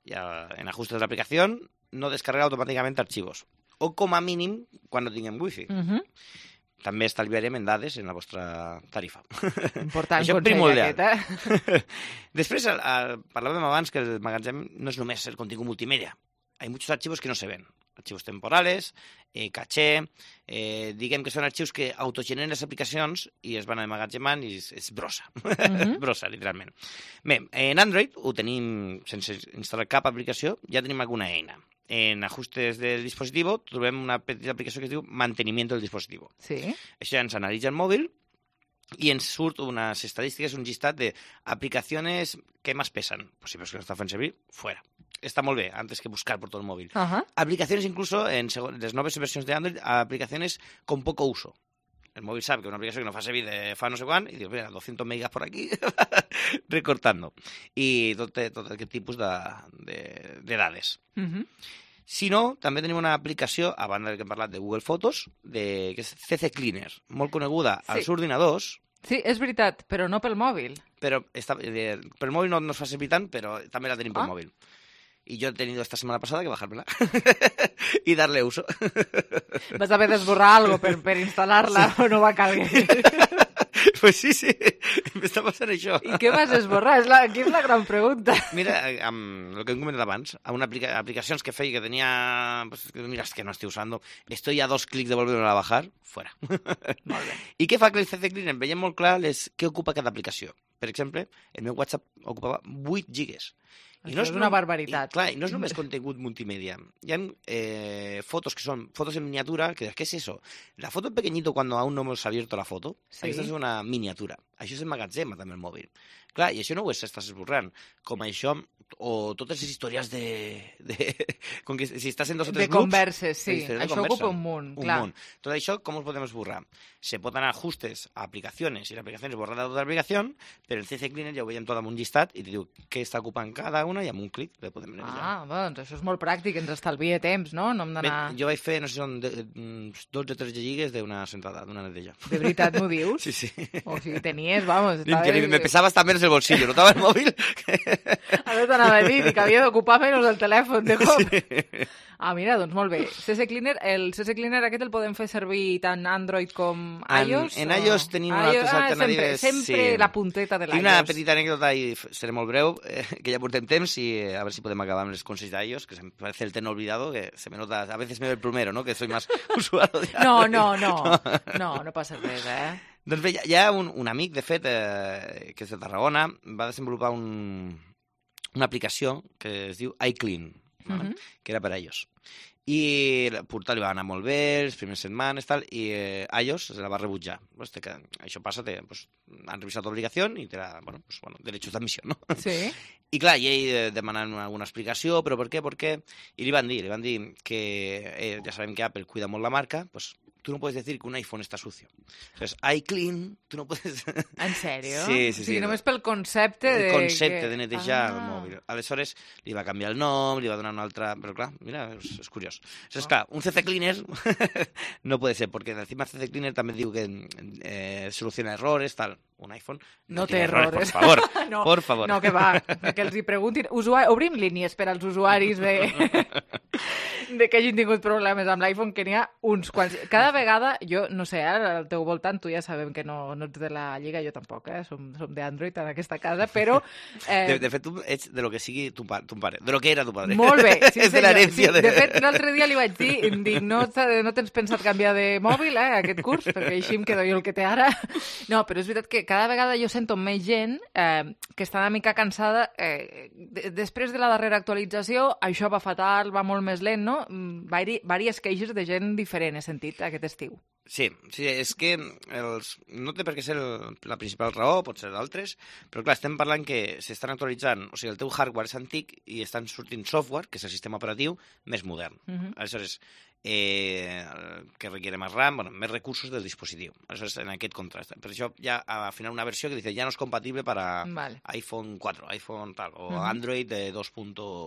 Ya en ajustes de la aplicación, no descarregar automáticamente archivos. O com a mínim, quan no tinguem wifi. També estalviarem en dades en la vostra tarifa. Important consell aquest, Després, parlàvem abans que el magatzem no és només el contingut multimèdia. Hay muchos archivos que no se ven. arxius temporales, caché, diguem que són arxius que autogeneren les aplicacions i es van emmagatzemant i és brossa, brossa, literalment. Bé, en Android ho tenim sense instal·lar cap aplicació, ja tenim alguna eina. En ajustes del dispositivo trobem una petita aplicació que es diu mantenimiento del dispositivo. Sí. Això ja ens analitza el mòbil i ens surt unes estadístiques, un llistat d'aplicacions que més pesen. Pues si veus que no està fent servir, fuera. Està molt bé, antes que buscar por todo el móvil. Aplicaciones incluso, en les noves versions de Android, aplicaciones con poco uso. El móvil sabe que una aplicació que no fa servir de fa no sé quan, i diu, mira, 200 megas por aquí, recortando. I tot aquest tipus de dades. Si no, també tenim una aplicació, a banda que hem parlat de Google Fotos, que és CC Cleaner, molt coneguda als ordinadors. Sí, és veritat, però no pel mòbil. Però pel mòbil no es fa servir tant, però també la tenim pel mòbil. Y yo he tenido esta semana pasada que bajármela y darle uso. Vas a haver d'esborrar algo per instal·lar-la o no va calguer? Pues sí, m'està passant això. I què vas esborrar? Aquí és la gran pregunta. Mira, amb el que hem comentat abans, a una aplicacions que feia que tenia... Pues, mira, es que no estoy usando. Estoy a 2 clics de volver a bajar. Fuera. Molt bé. I què fa que el CC Cleaner? Veiem molt clar què ocupa cada aplicació. Per exemple, el meu WhatsApp ocupava 8 gigas. Això és una barbaritat. I no és només contingut multimèdia. Hi ha fotos que són fotos en miniatura, que ¿qué es eso? La foto en pequeñito cuando aún no hemos abierto la foto. Sí. Aquesta és una miniatura. Això és emmagatzema també el mòbil. Clar, i això no ho estàs esborrant. Com això, o totes les històries com que si estàs en 2 o 3 grups... De converses, sí. Això ocupa un munt, clar. Tot això, com ho podem esborrar? Se pot anar a ajustes a aplicacions i l'aplicació és borrada de tota l'aplicació, però el CC Cleaner ja ho veiem tot amb un llistat i te diu què està ocupant cada una i amb un clic le podem netejar. Doncs això és molt pràctic, ens estalvia temps, no? No hem d'anar... Jo vaig fer, no sé si són 12 o 13 gigas d'una sentada, d'una neteja. De veritat m'ho dius? Sí, sí. O sigui, tenies, vamos... Me pesava hasta menos el bolsillo, notava el mòbil. Ara t'anava a dir que havia d'ocupar menys el telèfon de cop. Sí. Mira, doncs molt bé. CC Cleaner, el CC Cleaner aquest el podem fer servir tant Android com iOS? En iOS tenim altres alternatives. Sempre la punteta de l'iOS. Tinc una petita anècdota i seré molt breu, que ja portem temps i a veure si podem acabar amb els consells d'iOS, que se me parece el ten olvidado, que se me nota, a veces me ve el plumero, ¿no? Que soy más usuario de Android. No passa res, Doncs bé, hi ha un amic, de fet, que és de Tarragona, va desenvolupar una aplicació que es diu iClean, que era per a iOS. I el portal li va anar molt bé, les primeres setmanes, tal, i iOS se la va rebutjar. Que això passa, han revisat l'obligació i te la, derechos d'admissió, no? Sí. I clar, i ell demanant alguna explicació, però per què? I li van dir que ja sabem que Apple cuida molt la marca, pues tú no puedes decir que un iPhone está sucio. Entonces, iClean, tú no puedes... ¿En serio? Sí. O sigui, només pel concepte de... El concepte de netejar el mòbil. Aleshores, li va canviar el nom, li va donar una altra... Però clar, mira, és curiós. Entonces, clar, un CC Cleaner no puede ser, porque encima CC Cleaner també diu que soluciona errores, tal. Un iPhone no té errores. Por favor, por favor. No, que va, que els hi preguntin. Obrim línies per als usuaris de que hagin tingut problemes amb l'iPhone, que n'hi ha uns quants. Cada vegada, jo no sé, al teu voltant, tu ja sabem que no ets de la Lliga, jo tampoc, som d'Android en aquesta casa, però... De fet, tu ets de lo que sigui tu pare, de lo que era tu padre. Molt bé, sí, és de l'herència. Sí, de fet, l'altre dia li vaig dir, em dic, no tens pensat canviar de mòbil, aquest curs, perquè així em quedo jo el que té ara. No, però és veritat que cada vegada jo sento més gent que està una mica cansada. Després de la darrera actualització, això va fatal, va molt més lent, no? Vàries queixes de gent diferent, he sentit, aquest estiu. Sí, és que no té per què ser la principal raó, pot ser d'altres, però clar, estem parlant que s'estan actualitzant, o sigui, el teu hardware és antic i estan sortint software, que és el sistema operatiu, més modern. Aleshores, que requiere más RAM, més recursos del dispositiu. Aleshores, en aquest contrast. Per això ja al final una versió que dice ya no es compatible para iPhone 4, iPhone tal, o Android de 2.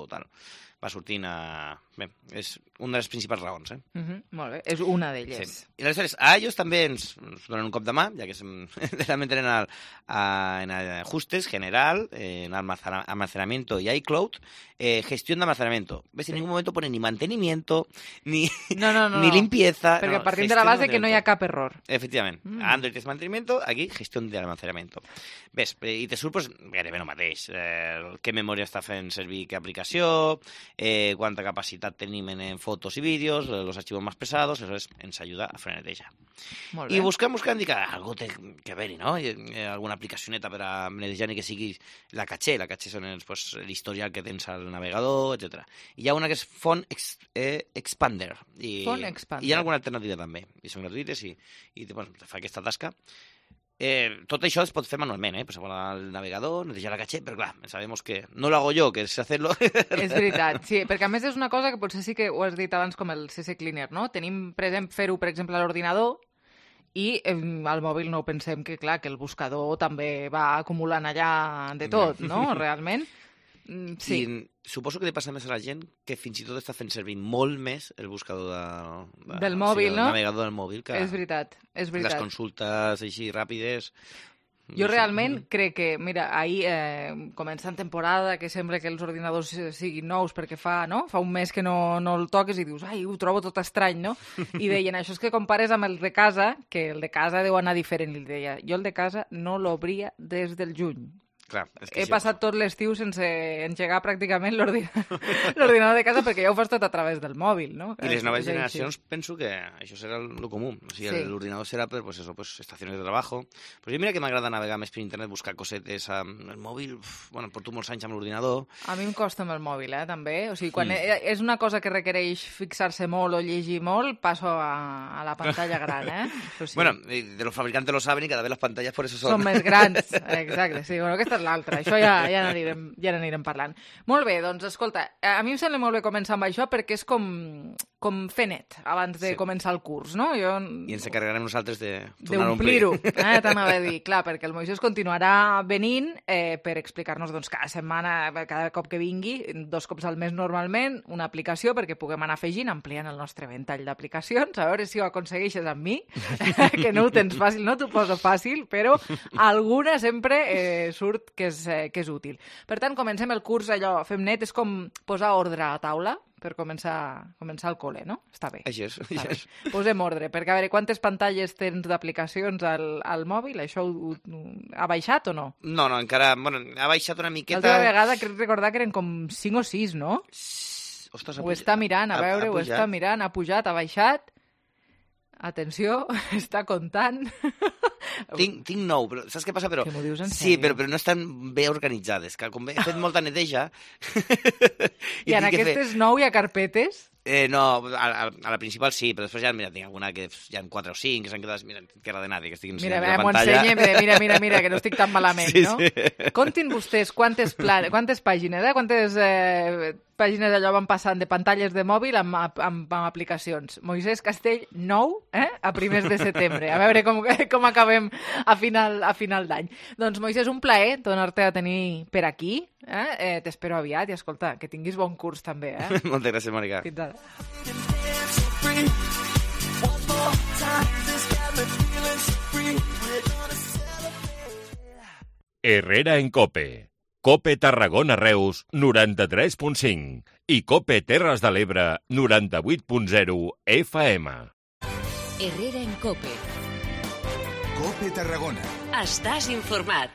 tal. Va sortint a... Bé, és una de les principals raons, Molt bé, és una d'elles. Sí. I aleshores, a ells també ens donen un cop de mà, ja que també tenen en ajustes, general, en almacenamiento y iCloud, gestión de almacenamiento. ¿Ves? En ningún momento pone ni mantenimiento, ni ni limpieza. Perquè partim de la base que no hi ha cap error. Efectivament. Android és mantenimiento, aquí gestió de almacenamiento. Ves, i te surt gairebé el mateix. Què memòria està fent servir, què aplicació, quanta capacitat tenim en fotos i vídeos, los archivos más pesados, eso ens ajuda a fer neteja. I buscant, indica, algo té que haver-hi, no? Alguna aplicacioneta per a netejar ni que sigui la caché són l'historial que tens al navegador, etc. I hi ha una que és Font Expander. Font Expander. I hi ha alguna alternativa també, i són gratuïtes i te fa aquesta tasca. Tot això es pot fer manualment, pues al navegador, netejar la caché, però clar, sabemos que no lo hago yo, que es hacerlo. És veritat, sí, perquè a més és una cosa que potser sí que ho has dit abans com el CC Cleaner, no? Tenim, fer-ho, per exemple, a l'ordinador i al mòbil no pensem que, clar, que el buscador també va acumulant allà de tot, no? Realment. Sí. I suposo que li passa més a la gent que fins i tot està fent servir molt més el buscador del mòbil, no? El navegador del mòbil que és veritat. Les consultes així ràpides. Jo realment crec que, mira, ahir començant temporada, que sembla que els ordinadors siguin nous perquè fa un mes que no el toques i dius, ai, ho trobo tot estrany, no? I deien, això és que compares amb el de casa, que el de casa deu anar diferent. I deia, jo el de casa no l'obria des del juny. Clar, he passat tot l'estiu sense engegar pràcticament l'ordinador de casa perquè ja ho fas tot a través del mòbil, no? I les noves generacions penso que això serà el comú. O sigui, l'ordinador serà per estacions de treball. Però jo mira que m'agrada navegar més per internet, buscar cosetes amb el mòbil. Bueno, porto molts anys amb l'ordinador. A mi em costa amb el mòbil, també. O sigui, quan és una cosa que requereix fixar-se molt o llegir molt, passo a la pantalla gran, Sí. Bueno, de los fabricantes lo saben y cada vez las pantallas por eso són més grans. Exacte, sí. Bueno, aquesta és l'altra. Això ja n'anirem parlant. Molt bé, doncs, escolta, a mi em sembla molt bé començar amb això perquè és com fer net abans de començar el curs, no? I ens encarregarem nosaltres de tornar a omplir-ho. T'anava a dir, clar, perquè el Moisés continuarà venint per explicar-nos cada setmana, cada cop que vingui, 2 cops al mes normalment, una aplicació perquè puguem anar afegint, ampliant el nostre ventall d'aplicacions, a veure si ho aconsegueixes amb mi, que no ho tens fàcil, no t'ho poso fàcil, però alguna sempre surt que és útil. Per tant, comencem el curs, allò, fem net, és com posar ordre a la taula per començar el col·le, no? Està bé. Així és. Posem ordre, perquè a veure, quantes pantalles tens d'aplicacions al mòbil? Això ha baixat o no? No, encara, ha baixat una miqueta. L'altra vegada crec recordar que eren com 5 o 6, no? Ostres, ho està mirant, a veure, ho està mirant, ha pujat, ha baixat. Atenció, està comptant. Tinc 9, però saps què passa? Que m'ho dius en sèrio? Sí, però no estan bé organitzades. Que com he fet molta neteja... I en aquestes 9 hi ha carpetes? No, a la principal sí, però després ja, mira, tinc alguna que hi ha 4 o 5 que s'han quedat, mira, que de nadie, que estic ensenyant la pantalla. Mira, que no estic tan malament, no? Sí. Contin vostès quantes pàgines, quantes pàgines allò van passant de pantalles de mòbil amb aplicacions. Moisés Castell, 9, a primers de setembre. A veure com acabem a final d'any. Doncs, Moisés, un plaer tornar-te a tenir per aquí. T'espero aviat i, escolta, que tinguis bon curs també. Moltes gràcies, Mònica. Fins ara. Herrera en Cope. Cope Tarragona Reus 93.5 i Cope Terres de l'Ebre 98.0 FM. Herrera en Cope. Cope Tarragona. Estàs informat.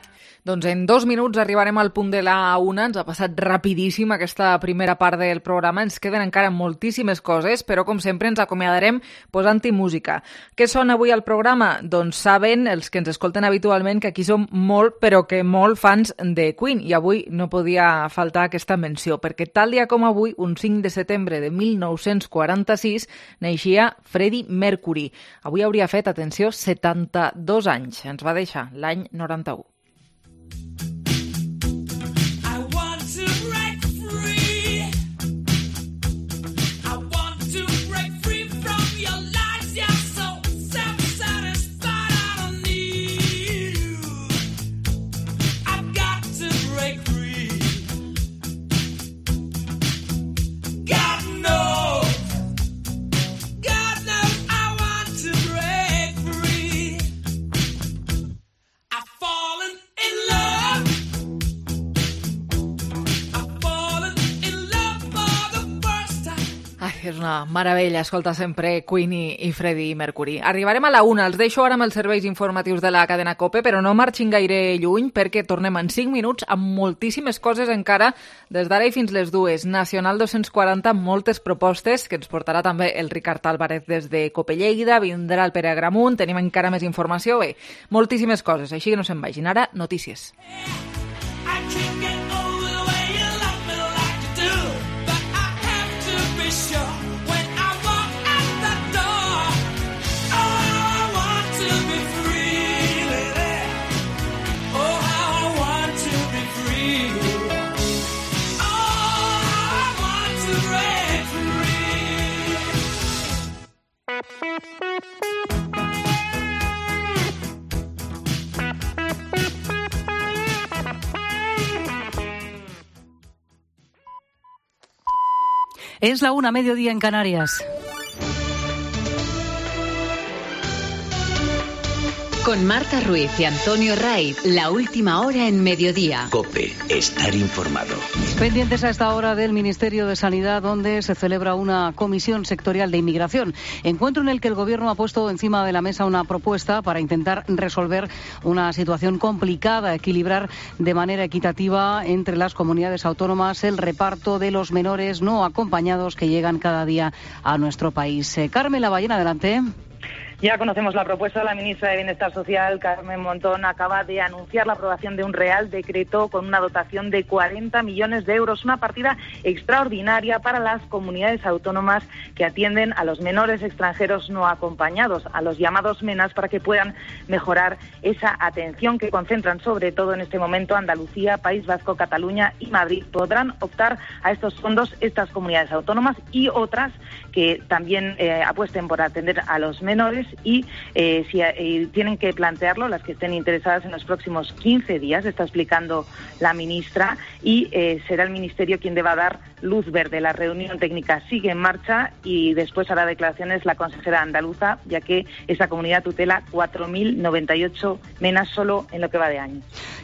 Doncs en 2 minuts arribarem al punt de la 1. Ens ha passat rapidíssim aquesta primera part del programa. Ens queden encara moltíssimes coses, però com sempre ens acomiadarem posant-hi música. Què sona avui al programa? Doncs saben els que ens escolten habitualment que aquí som molt, però que molt fans de Queen. I avui no podia faltar aquesta menció, perquè tal dia com avui, un 5 de setembre de 1946, naixia Freddie Mercury. Avui hauria fet, atenció, 72 anys. Ens va deixar l'any 91. Falling És una meravella escoltar sempre Queen i Freddie Mercury. Arribarem a la 1. Els deixo ara amb els serveis informatius de la cadena COPE, però no marxin gaire lluny perquè tornem en 5 minuts amb moltíssimes coses encara des d'ara i fins les 2. Nacional 240, moltes propostes que ens portarà també el Ricard Álvarez des de COPE Lleida, vindrà el Pere Agramunt, tenim encara més informació, bé, moltíssimes coses, així que no se'n vagin. Ara, notícies. Es la 1, mediodía en Canarias. Con Marta Ruiz y Antonio Raiz, la última hora en mediodía. COPE, estar informado. Pendientes a esta hora del Ministerio de Sanidad, donde se celebra una comisión sectorial de inmigración. Encuentro en el que el Gobierno ha puesto encima de la mesa una propuesta para intentar resolver una situación complicada, equilibrar de manera equitativa entre las comunidades autónomas el reparto de los menores no acompañados que llegan cada día a nuestro país. Carmen Lavallén, adelante. Ya conocemos la propuesta. La ministra de Bienestar Social, Carmen Montón, acaba de anunciar la aprobación de un Real Decreto con una dotación de 40 millones de euros, una partida extraordinaria para las comunidades autónomas que atienden a los menores extranjeros no acompañados, a los llamados MENAs, para que puedan mejorar esa atención que concentran sobre todo en este momento Andalucía, País Vasco, Cataluña y Madrid. Podrán optar a estos fondos estas comunidades autónomas y otras que también apuesten por atender a los menores y tienen que plantearlo las que estén interesadas en los próximos 15 días, está explicando la ministra, y será el Ministerio quien deba dar luz verde. La reunión técnica sigue en marcha y después hará declaraciones la consejera andaluza, ya que esa comunidad tutela 4.098 menas solo en lo que va de año.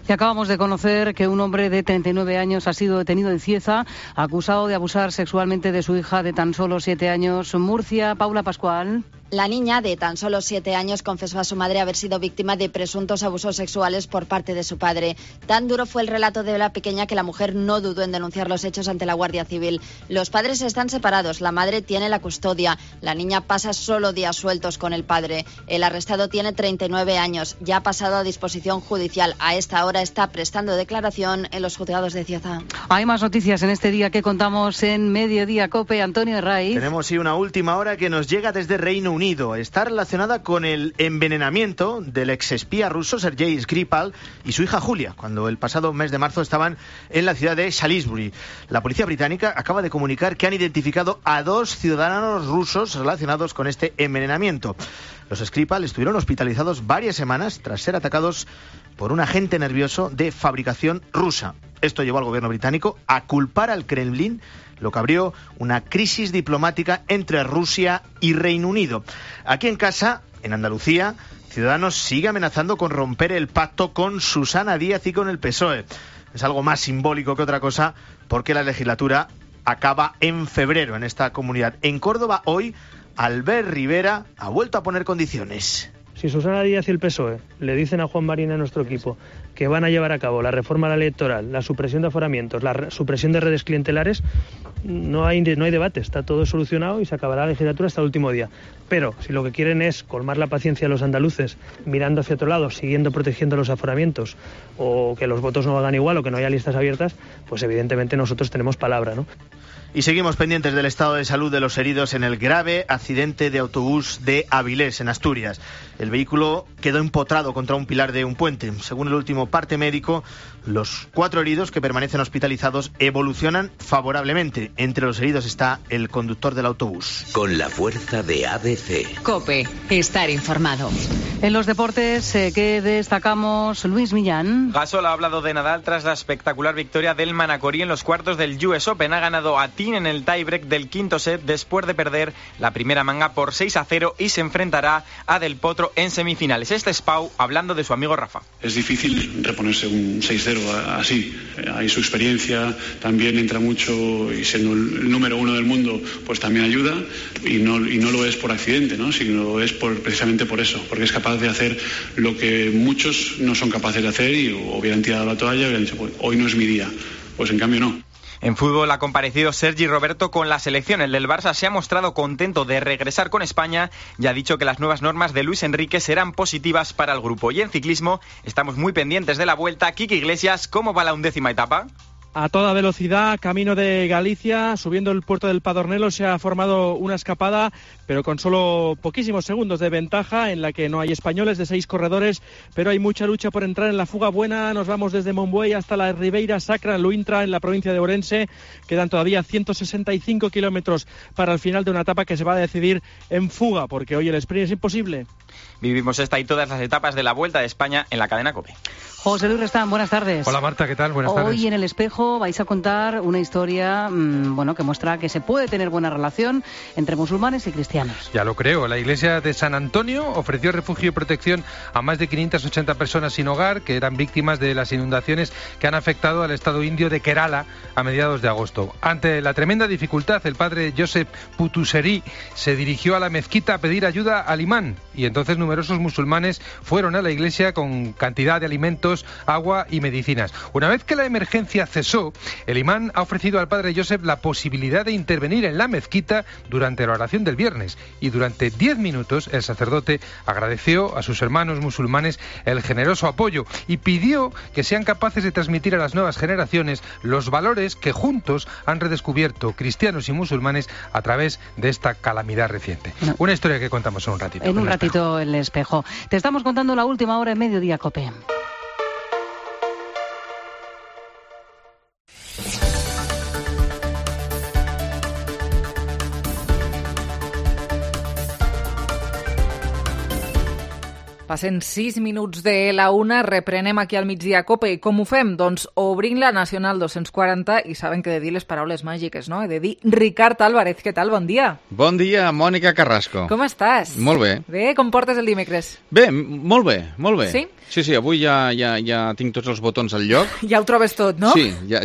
Y acabamos de conocer que un hombre de 39 años ha sido detenido en Cieza, acusado de abusar sexualmente de su hija de tan solo 7 años. Murcia, Paula Pascual. La niña, de tan solo 7 años, confesó a su madre haber sido víctima de presuntos abusos sexuales por parte de su padre. Tan duro fue el relato de la pequeña que la mujer no dudó en denunciar los hechos ante la Guardia Civil. Los padres están separados, la madre tiene la custodia. La niña pasa solo días sueltos con el padre. El arrestado tiene 39 años, ya ha pasado a disposición judicial. A esta hora está prestando declaración en los juzgados de Cieza. Hay más noticias en este día que contamos en Mediodía COPE. Antonio Raiz. Tenemos una última hora que nos llega desde Reino Unido. Está relacionada con el envenenamiento del exespía ruso Sergei Skripal y su hija Julia, cuando el pasado mes de marzo estaban en la ciudad de Salisbury. La policía británica acaba de comunicar que han identificado a 2 ciudadanos rusos relacionados con este envenenamiento. Los Skripal estuvieron hospitalizados varias semanas tras ser atacados por un agente nervioso de fabricación rusa. Esto llevó al gobierno británico a culpar al Kremlin, lo que abrió una crisis diplomática entre Rusia y Reino Unido. Aquí en casa, en Andalucía, Ciudadanos sigue amenazando con romper el pacto con Susana Díaz y con el PSOE. Es algo más simbólico que otra cosa, porque la legislatura acaba en febrero en esta comunidad. En Córdoba hoy, Albert Rivera ha vuelto a poner condiciones. Si Susana Díaz y el PSOE le dicen a Juan Marín, a nuestro equipo, que van a llevar a cabo la reforma de la ley electoral, la supresión de aforamientos, la supresión de redes clientelares, no hay debate, está todo solucionado y se acabará la legislatura hasta el último día. Pero si lo que quieren es colmar la paciencia de los andaluces, mirando hacia otro lado, siguiendo protegiendo los aforamientos, o que los votos no hagan igual o que no haya listas abiertas, pues evidentemente nosotros tenemos palabra, ¿no? Y seguimos pendientes del estado de salud de los heridos en el grave accidente de autobús de Avilés, en Asturias. El vehículo quedó empotrado contra un pilar de un puente. Según el último parte médico, los 4 heridos que permanecen hospitalizados evolucionan favorablemente. Entre los heridos está el conductor del autobús. Con la fuerza de ABC. COPE, estar informado. En los deportes, ¿qué destacamos? Luis Millán. Gasol ha hablado de Nadal tras la espectacular victoria del Manacorí en los cuartos del US Open. Ha ganado a Martín en el tiebreak del quinto set después de perder la primera manga por 6-0 y se enfrentará a Del Potro en semifinales. Este es Pau hablando de su amigo Rafa. Es difícil reponerse un 6-0 así. Ahí su experiencia también entra mucho y siendo el número uno del mundo pues también ayuda y no lo es por accidente, ¿no? Sino es precisamente por eso, porque es capaz de hacer lo que muchos no son capaces de hacer y hubieran tirado la toalla y hubieran dicho, pues hoy no es mi día. Pues en cambio no. En fútbol ha comparecido Sergi Roberto con la selección. El del Barça se ha mostrado contento de regresar con España y ha dicho que las nuevas normas de Luis Enrique serán positivas para el grupo. Y en ciclismo estamos muy pendientes de la Vuelta. Quique Iglesias, ¿cómo va la 11ª etapa? A toda velocidad, camino de Galicia, subiendo el puerto del Padornelo, se ha formado una escapada, pero con solo poquísimos segundos de ventaja, en la que no hay españoles, de 6 corredores, pero hay mucha lucha por entrar en la fuga buena. Nos vamos desde Montbuey hasta la Ribeira Sacra, en Luintra, en la provincia de Ourense. Quedan todavía 165 kilómetros para el final de una etapa que se va a decidir en fuga, porque hoy el sprint es imposible. Vivimos esta y todas las etapas de la Vuelta de España en la cadena COPE. José Luis Restán, buenas tardes. Hola Marta, ¿qué tal? Buenas tardes. Hoy en El Espejo vais a contar una historia que muestra que se puede tener buena relación entre musulmanes y cristianos. Ya lo creo. La iglesia de San Antonio ofreció refugio y protección a más de 580 personas sin hogar que eran víctimas de las inundaciones que han afectado al estado indio de Kerala a mediados de agosto. Ante la tremenda dificultad, el padre Joseph Putuseri se dirigió a la mezquita a pedir ayuda al imán y entonces numerosos musulmanes fueron a la iglesia con cantidad de alimentos, agua y medicinas. Una vez que la emergencia cesó, el imán ha ofrecido al padre Joseph la posibilidad de intervenir en la mezquita durante la oración del viernes y durante 10 minutos el sacerdote agradeció a sus hermanos musulmanes el generoso apoyo y pidió que sean capaces de transmitir a las nuevas generaciones los valores que juntos han redescubierto cristianos y musulmanes a través de esta calamidad reciente. No. Una historia que contamos en un ratito. En un ratito El Espejo. Te estamos contando la última hora en Mediodía COPE. Passen 6 minuts de la 1, reprenem aquí al migdia COPE. I com ho fem? Doncs obrint la Nacional 240 i saben que he de dir les paraules màgiques, no? He de dir Ricard Álvarez. Què tal? Bon dia. Bon dia, Mònica Carrasco. Com estàs? Molt bé. Bé, com portes el dimecres? Bé, molt bé, molt bé. Sí? Sí, avui ja tinc tots els botons al lloc. Ja ho trobes tot, no? Sí, ja.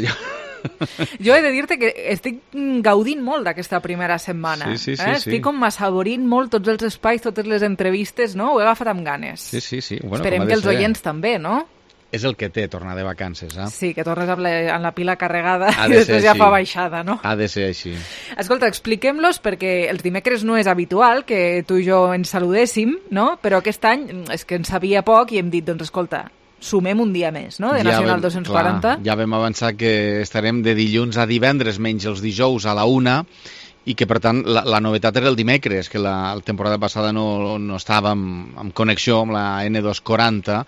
Jo he de dir-te que estic gaudint molt d'aquesta primera setmana. Sí. Estic com assaborint molt tots els espais, totes les entrevistes, no? Ho he agafat amb ganes. Sí. Bueno, esperem que els oients també, no? És el que té tornar de vacances, eh? Sí, que tornes amb la pila carregada i després ja fa baixada, no? Ha de ser així. Escolta, expliquem-los perquè els dimecres no és habitual que tu i jo ens saludéssim, no? Però aquest any és que en sabia poc i hem dit, doncs escolta, sumem un dia més, no?, de Nacional 240. Clar, ja vam avançar que estarem de dilluns a divendres, menys els dijous a la 1, i que, per tant, la novetat era el dimecres, que la temporada passada no estàvem en connexió amb la N240,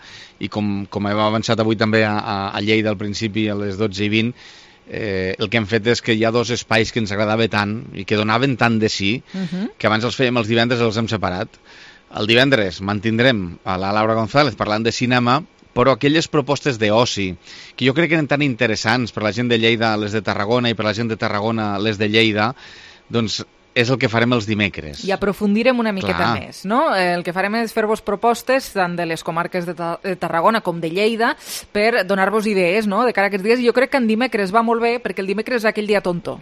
i com hem avançat avui també a Lleida al principi, a les 12:20, el que hem fet és que hi ha dos espais que ens agradava tant i que donaven tant de sí, que abans els fèiem els divendres i els hem separat. El divendres mantindrem a la Laura González parlant de cinema, però aquelles propostes d'oci, que jo crec que eren tan interessants per la gent de Lleida, les de Tarragona, i per la gent de Tarragona, les de Lleida, doncs és el que farem els dimecres. I aprofundirem una miqueta més, no? El que farem és fer-vos propostes tant de les comarques de Tarragona com de Lleida per donar-vos idees, no?, de cara a aquests dies. I jo crec que en dimecres va molt bé perquè el dimecres és aquell dia tonto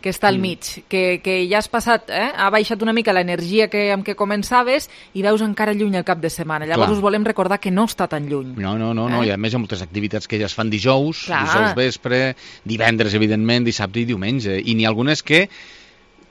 que està al mig, que ja has passat, ha baixat una mica l'energia amb què començaves i veus encara lluny el cap de setmana. Llavors us volem recordar que no està tan lluny. No, i a més hi ha moltes activitats que ja es fan dijous vespre, divendres, evidentment, dissabte i diumenge, i n'hi ha algunes que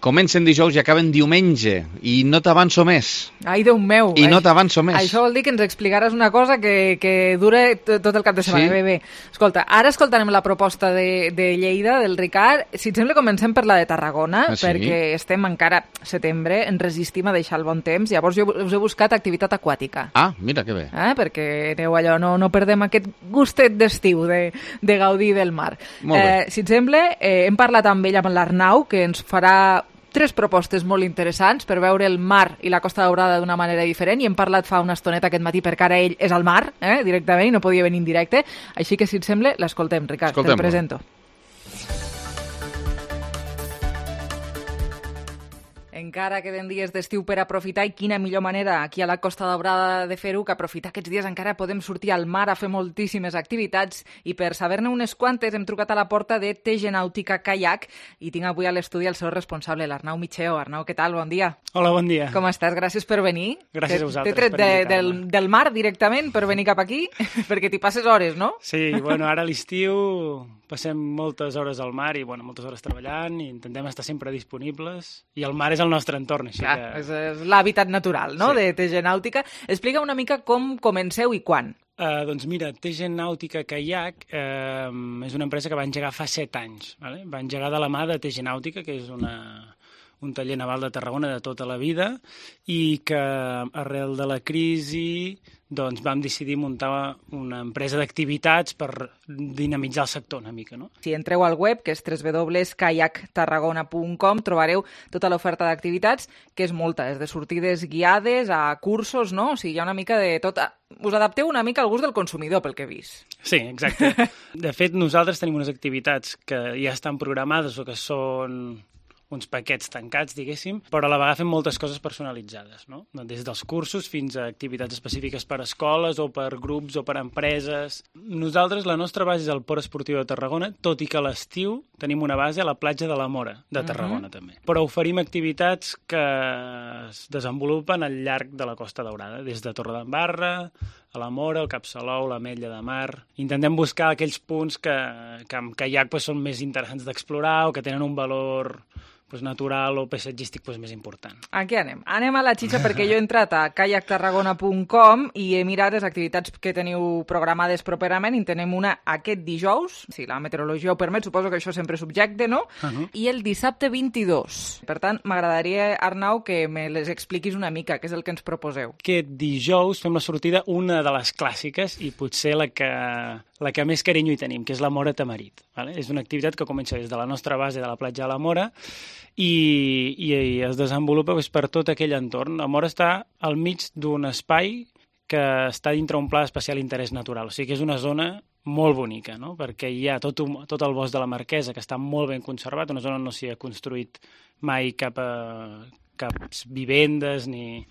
comencen dijous i acaben diumenge, i no t'avanço més. Ai, Déu meu. I no t'avanço més. Això vol dir que ens explicaràs una cosa que dura tot el cap de setmana. Sí. Bé. Escolta, ara escoltarem la proposta de Lleida, del Ricard. Si et sembla, comencem per la de Tarragona, perquè estem encara a setembre, ens resistim a deixar el bon temps. Llavors jo us he buscat activitat aquàtica. Ah, mira que bé. Perquè aneu allò, no perdem aquest gustet d'estiu de gaudir del mar. Molt bé. Si et sembla, hem parlat amb ell, amb l'Arnau, que ens farà 3 propostes molt interessants per veure el mar i la Costa Daurada d'una manera diferent, i hem parlat fa una estoneta aquest matí perquè ara ell és al mar, directament, i no podia venir en directe, així que si et sembla l'escoltem, Ricard, te'l presento. Encara queden dies d'estiu per aprofitar, i quina millor manera aquí a la Costa Daurada de fer-ho que aprofitar aquests dies. Encara podem sortir al mar a fer moltíssimes activitats, i per saber-ne unes quantes hem trucat a la porta de TG Nàutica Kayak i tinc avui a l'estudi el seu responsable, l'Arnau Micheo. Arnau, què tal? Bon dia. Hola, bon dia. Com estàs? Gràcies per venir. Gràcies a vosaltres. T'he tret del mar directament per venir cap aquí, perquè t'hi passes hores, no? Sí, bueno, ara a l'estiu passem moltes hores al mar i moltes hores treballant i intentem estar sempre disponibles, i el mar és el nostre entorn, així Clar, que... és l'hàbitat natural, no?, de TG Nàutica. Explica una mica com comenceu i quan. Doncs mira, TG Nàutica Kayak és una empresa que va engegar fa 7 anys. Vale? Va engegar de la mà de TG Nàutica, que és un taller naval de Tarragona de tota la vida, i que arrel de la crisi doncs vam decidir muntar una empresa d'activitats per dinamitzar el sector una mica, no? Si entreu al web, que és www.kayaktarragona.com, trobareu tota l'oferta d'activitats, que és molta, des de sortides guiades a cursos, no? O sigui, hi ha una mica de tot. Us adapteu una mica al gust del consumidor, pel que he vist. Sí, exacte. De fet, nosaltres tenim unes activitats que ja estan programades o que són uns paquets tancats, diguéssim, però a la vegada fem moltes coses personalitzades, no? Des dels cursos fins a activitats específiques per a escoles o per grups o per a empreses. Nosaltres, la nostra base és el Port Esportiu de Tarragona, tot i que a l'estiu tenim una base a la platja de la Mora de Tarragona, també. Però oferim activitats que es desenvolupen al llarg de la Costa Daurada, des de Torredembarra, a la Mora, el Cap Salou, l'Ametlla de Mar. Intentem buscar aquells punts que amb caiac són més interessants d'explorar o que tenen un valor natural o paisatgístic més important. Aquí anem. Anem a la xitxa, perquè jo he entrat a kayaktarragona.com i he mirat les activitats que teniu programades properament, i tenem una aquest dijous, si la meteorologia ho permet, suposo que això sempre és subjecte, no? I el dissabte 22. Per tant, m'agradaria, Arnau, que me les expliquis una mica, què és el que ens proposeu. Aquest dijous fem la sortida, una de les clàssiques, i potser la que més carinyo hi tenim, que és la Mora Tamarit. Vale? És una activitat que comença des de la nostra base de la platja de la Mora i es desenvolupa per tot aquell entorn. La Mora està al mig d'un espai que està dintre un pla d'especial interès natural. O sigui que és una zona molt bonica, no? Perquè hi ha tot el bosc de la Marquesa, que està molt ben conservat, una zona on no s'hi ha construït mai cap vivendes ni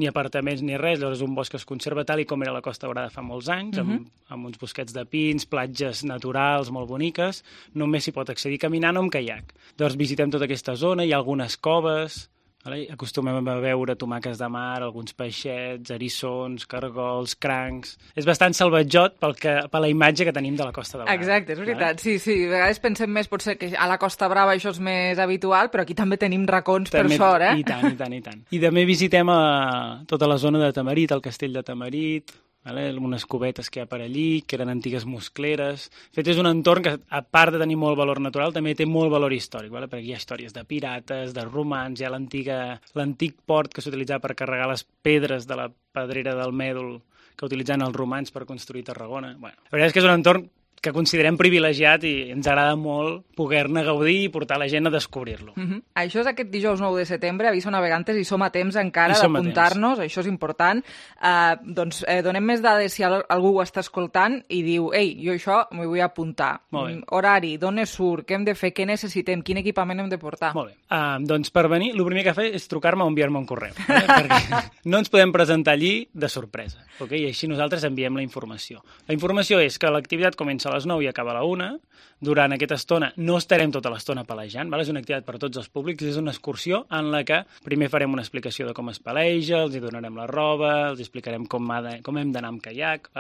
apartaments ni res. Llavors és un bosc que es conserva tal i com era la Costa Daurada fa molts anys, amb uns bosquets de pins, platges naturals molt boniques. Només s'hi pot accedir caminant o amb caiac. Llavors visitem tota aquesta zona, hi ha algunes coves, acostumem a veure tomaques de mar, alguns peixets, eriçons, cargols, crancs... És bastant salvatjot per la imatge que tenim de la Costa Daurada. Exacte, és veritat. Sí, a vegades pensem més, potser que a la Costa Brava això és més habitual, però aquí també tenim racons per sort, eh? I tant. I també visitem tota la zona de Tamarit, el castell de Tamarit, unes cubetes que hi ha per allí, que eren antigues moscleres. De fet, és un entorn que, a part de tenir molt valor natural, també té molt valor històric, perquè hi ha històries de pirates, de romans, hi ha l'antic port que s'utilitzava per carregar les pedres de la pedrera del Mèdol que utilitzaven els romans per construir Tarragona. La veritat és que és un entorn que considerem privilegiat i ens agrada molt poder-ne gaudir i portar la gent a descobrir-lo. Això és aquest dijous 9 de setembre, Aviso Navegantes, i som a temps encara d'apuntar-nos, això és important. Donem més dades si algú ho està escoltant i diu, ei, jo això m'ho vull apuntar. Horari, d'on es surt, què hem de fer, què necessitem, quin equipament hem de portar? Molt bé. Doncs per venir, el primer que fer és trucar-me o enviar-me un correu, perquè no ens podem presentar allí de sorpresa, i així nosaltres enviem la informació. La informació és que l'activitat comença a les 9 i acaba a la 1. Durant aquesta estona no estarem tota l'estona palejant, és una activitat per a tots els públics, és una excursió en la que primer farem una explicació de com es paleja, els hi donarem la roba, els explicarem com hem d'anar amb caiac,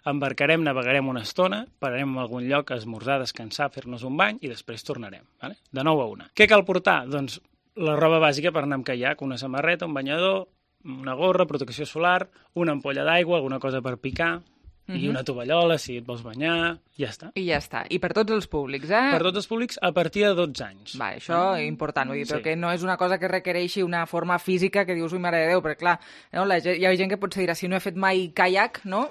embarcarem, navegarem una estona, pararem en algun lloc a esmorzar, descansar, fer-nos un bany i després tornarem, de 9 a 1. Què cal portar? Doncs la roba bàsica per anar amb caiac, una samarreta, un banyador, una gorra, protecció solar, una ampolla d'aigua, alguna cosa per picar, i una tovallola, si et vols banyar, ja està. I ja està. I per tots els públics, eh? Per tots els públics a partir de 12 anys. Això és important, vull dir, però que no és una cosa que requereixi una forma física que dius, ui, mare de Déu, perquè clar, hi ha gent que potser dirà, si no he fet mai caiac, no?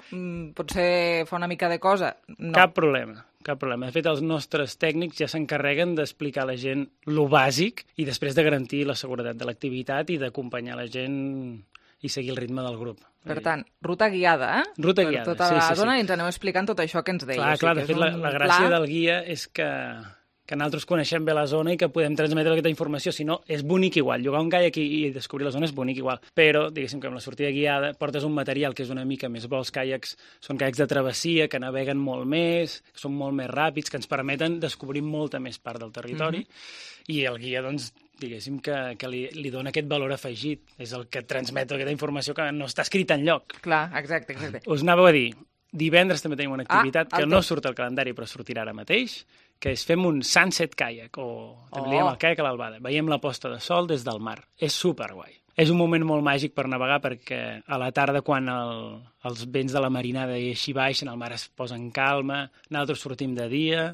Potser fa una mica de cosa. No. Cap problema. De fet, els nostres tècnics ja s'encarreguen d'explicar a la gent lo bàsic i després de garantir la seguretat de l'activitat i d'acompanyar la gent i seguir el ritme del grup. Per tant, ruta guiada, eh? Ruta guiada, per tota la zona, i ens aneu explicant tot això que ens deies. Clar, de fet, la gràcia del guia és que que nosaltres coneixem bé la zona i que podem transmetre aquesta informació, si no, és bonic igual. Llogar un caiac i descobrir la zona és bonic igual, però, diguéssim, que amb la sortida guiada portes un material que és una mica més bo. Els caiacs són caiacs de travessia, que naveguen molt més, que són molt més ràpids, que ens permeten descobrir molta més part del territori, i el guia, doncs, diguéssim que li dona aquest valor afegit. És el que transmet aquesta informació que no està escrita enlloc. Clar, exacte. Us anava a dir, divendres també tenim una activitat que no surt al calendari però sortirà ara mateix, que és fem un sunset kayak, o també diem el kayak a l'albada. Veiem la posta de sol des del mar. És superguai. És un moment molt màgic per navegar perquè a la tarda, quan els vents de la marinada i així baixen, el mar es posa en calma, nosaltres sortim de dia,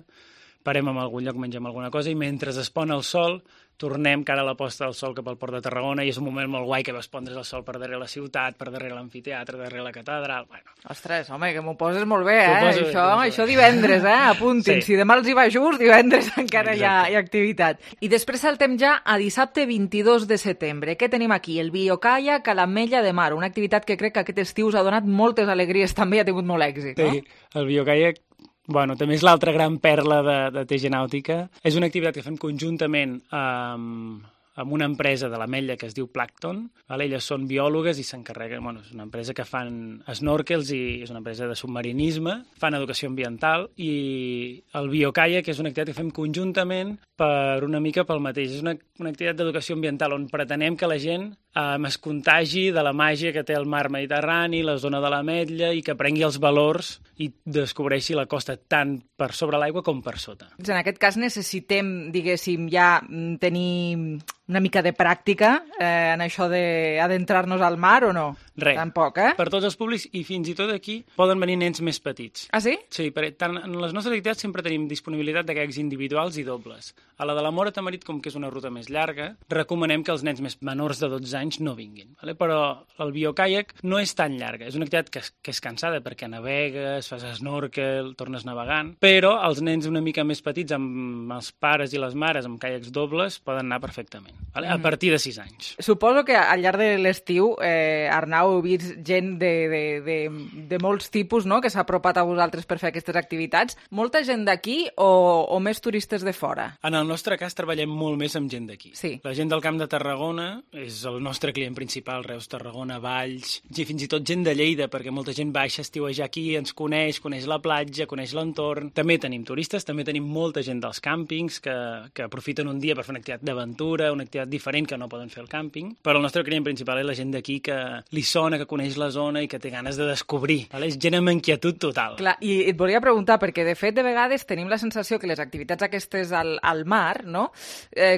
parem en algun lloc, mengem alguna cosa i mentre es pon el sol tornem cara a la posta del sol cap al port de Tarragona i és un moment molt guai que vas pondre's el sol per darrere la ciutat, per darrere l'amfiteatre, darrere la catedral... Bueno. Ostres, home, que m'ho poses molt bé, Això divendres, apuntin. Sí. Si demà els hi va just, divendres encara hi ha activitat. I després saltem ja a dissabte 22 de setembre. Què tenim aquí? El biocaiac a l'Ametlla de Mar, una activitat que crec que aquest estiu us ha donat moltes alegries també i ha tingut molt èxit, no? Sí, el biocaiac també és l'altra gran perla de TG Nàutica. És una activitat que fem conjuntament amb una empresa de l'Ametlla que es diu Plankton. Elles són biòlogues i s'encarreguen... És una empresa que fan snorkels i és una empresa de submarinisme, fan educació ambiental i el biocaiac és una activitat que fem conjuntament per una mica pel mateix. És una activitat d'educació ambiental on pretenem que la gent es contagi de la màgia que té el mar Mediterrani, la zona de l'Ametlla, i que prengui els valors i descobreixi la costa tant per sobre l'aigua com per sota. En aquest cas necessitem, diguéssim, ja tenir una mica de pràctica en això d'adentrar-nos al mar o no? Res. Tampoc, Per tots els públics i fins i tot aquí poden venir nens més petits. Ah, sí? Sí, tant en les nostres activitats sempre tenim disponibilitat de caiacs individuals i dobles. A la de la Móra Tamarit, com que és una ruta més llarga, recomanem que els nens més menors de 12 anys no vinguin. Però el biocaiac no és tan llarga. És una activitat que és cansada perquè navegues, fas snorkel, tornes navegant, però els nens una mica més petits, amb els pares i les mares, amb caiacs dobles, poden anar perfectament. A partir de 6 anys. Suposo que al llarg de l'estiu, Arnau, heu vist gent de molts tipus, no?, que s'ha apropat a vosaltres per fer aquestes activitats. Molta gent d'aquí o més turistes de fora? En el nostre cas treballem molt més amb gent d'aquí. Sí. La gent del Camp de Tarragona és el nostre client principal, Reus, Tarragona, Valls, i fins i tot gent de Lleida, perquè molta gent baixa a estiuejar aquí, ens coneix la platja, coneix l'entorn. També tenim turistes, també tenim molta gent dels càmpings que aprofiten un dia per fer una activitat d'aventura, una activitat diferent que no poden fer al càmping, però el nostre client principal és la gent d'aquí que li sona, que coneix la zona i que té ganes de descobrir. És gent amb inquietud total. Clar, i et volia preguntar, perquè de fet de vegades tenim la sensació que les activitats aquestes al mar, no?,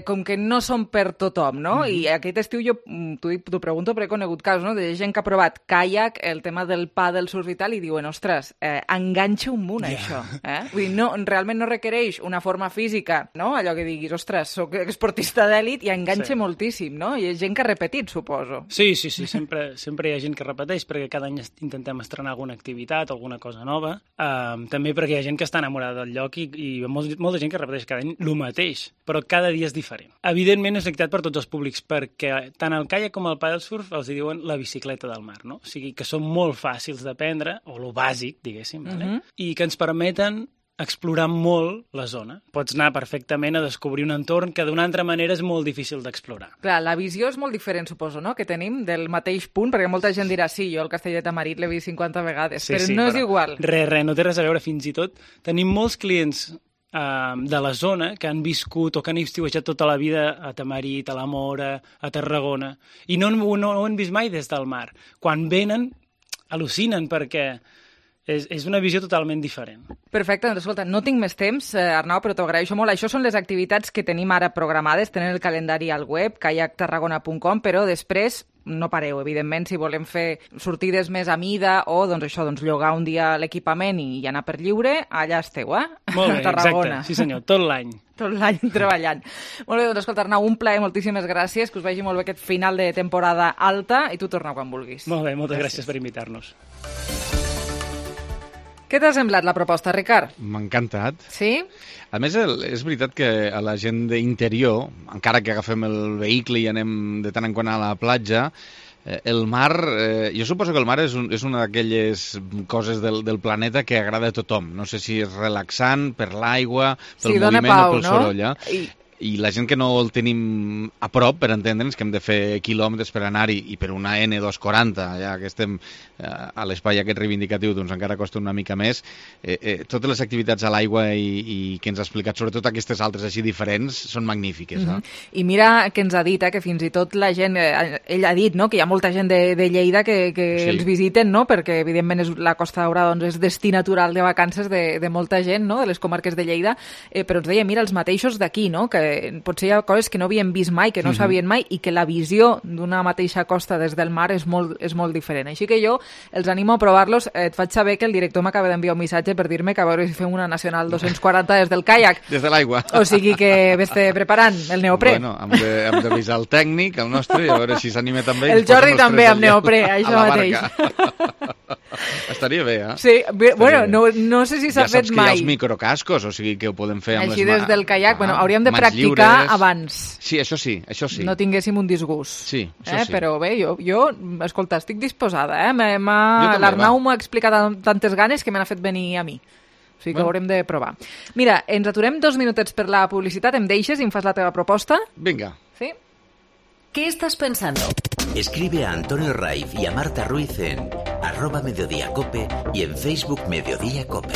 com que no són per tothom, no? I aquest estiu jo t'ho pregunto perquè he conegut casos, no?, de gent que ha provat caiac, el tema del pàdel, surf i tal, i diuen, ostres, enganxa un munt això. Vull dir, realment no requereix una forma física, no?, allò que diguis, ostres, soc esportista d'èlit i enganxa moltíssim, no? I és gent que ha repetit, suposo. Sí, sempre hi ha gent que repeteix perquè cada any intentem estrenar alguna activitat, alguna cosa nova. També perquè hi ha gent que està enamorada del lloc i molta gent que repeteix cada any el mateix, però cada dia és diferent. Evidentment és una activitat per tots els públics perquè tant el caiac com el paddlesurf els diuen la bicicleta del mar, no? O sigui que són molt fàcils d'aprendre, o lo bàsic, diguéssim, i que ens permeten explorar molt la zona. Pots anar perfectament a descobrir un entorn que d'una altra manera és molt difícil d'explorar. Clar, la visió és molt diferent, suposo, no?, que tenim del mateix punt, perquè molta gent dirà, sí, jo el Castell de Tamarit l'he vist 50 vegades, però no és igual. Res, no té res a veure. Fins i tot tenim molts clients de la zona que han viscut o que han estiuejat tota la vida a Tamarit, a la Móra, a Tarragona, i no ho han vist mai des del mar. Quan venen, al·lucinen perquè és una visió totalment diferent. Perfecte, doncs escolta, no tinc més temps, Arnau, però t'ho agraeixo molt. Això són les activitats que tenim ara programades, tenen el calendari al web, kayaktarragona.com, però després no pareu, evidentment, si volem fer sortides més a mida o, doncs això, llogar un dia l'equipament i anar per lliure, allà esteu, Molt bé, exacte, sí senyor, tot l'any. Tot l'any treballant. Molt bé, doncs escolta, Arnau, un plaer, moltíssimes gràcies, que us vagi molt bé aquest final de temporada alta i tu torna quan vulguis. Molt bé, moltes gràcies per invitar-nos. Què t'ha semblat la proposta, Ricard? M'ha encantat. Sí? A més, és veritat que a la gent d'interior, encara que agafem el vehicle i anem de tant en quant a la platja, El mar, jo suposo que el mar és una d'aquelles coses del planeta que agrada a tothom. No sé si és relaxant per l'aigua, pel moviment o pel soroll. I la gent que no el tenim a prop, per entendre'ns, que hem de fer quilòmetres per anar-hi, i per una N240, ja que estem a l'espai aquest reivindicatiu, doncs encara costa una mica més. Totes les activitats a l'aigua i que ens ha explicat, sobretot aquestes altres així diferents, són magnífiques. I mira que ens ha dit, que fins i tot la gent, ell ha dit, no?, que hi ha molta gent de Lleida que els visiten, no?, perquè evidentment la Costa Daurada doncs, és destí natural de vacances de molta gent, no?, de les comarques de Lleida, però ens deia, mira, els mateixos d'aquí, no?, que potser hi ha coses que no havíem vist mai, que no sabien mai, i que la visió d'una mateixa costa des del mar és molt diferent. Així que jo els animo a provar-los. Et faig saber que el director m'acaba d'enviar un missatge per dir-me que a veure si fem una Nacional 240 des del caiac. Des de l'aigua. O sigui que vés-te preparant el neoprè. Bueno, hem d'avisar el tècnic, el nostre, i a veure si s'anima també. El Jordi també amb neoprè, això mateix. Estaria bé, Sí, bueno, no sé si s'ha fet mai. Ja saps que hi ha els microcascos, o sigui que ho podem fer amb així des del caiac. Bueno, hauríem de practicar abans. Sí, això sí. No tinguéssim un disgust. Sí, això sí. Però bé, jo, escolta, estic disposada, l'Arnau m'ha explicat amb tantes ganes que me n'ha fet venir a mi. O sigui que ho haurem de provar. Mira, ens aturem 2 minutets per la publicitat, em deixes i em fas la teva proposta? Vinga. Sí? ¿Qué estás pensando? Escribe a Antonio Raiz y a Marta Ruiz en @mediodiacope y en Facebook Mediodía Cope.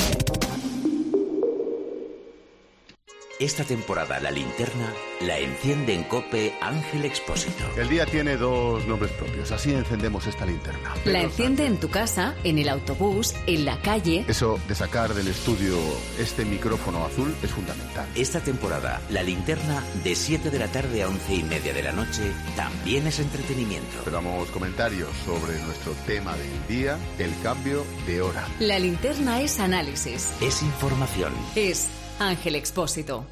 Esta temporada la linterna la enciende en COPE Ángel Expósito. El día tiene 2 nombres propios, así encendemos esta linterna. La enciende en tu casa, en el autobús, en la calle. Eso de sacar del estudio este micrófono azul es fundamental. Esta temporada la linterna de 7 de la tarde a 11:30 de la noche también es entretenimiento. Esperamos comentarios sobre nuestro tema del día, el cambio de hora. La linterna es análisis. Es información. Es Ángel Expósito.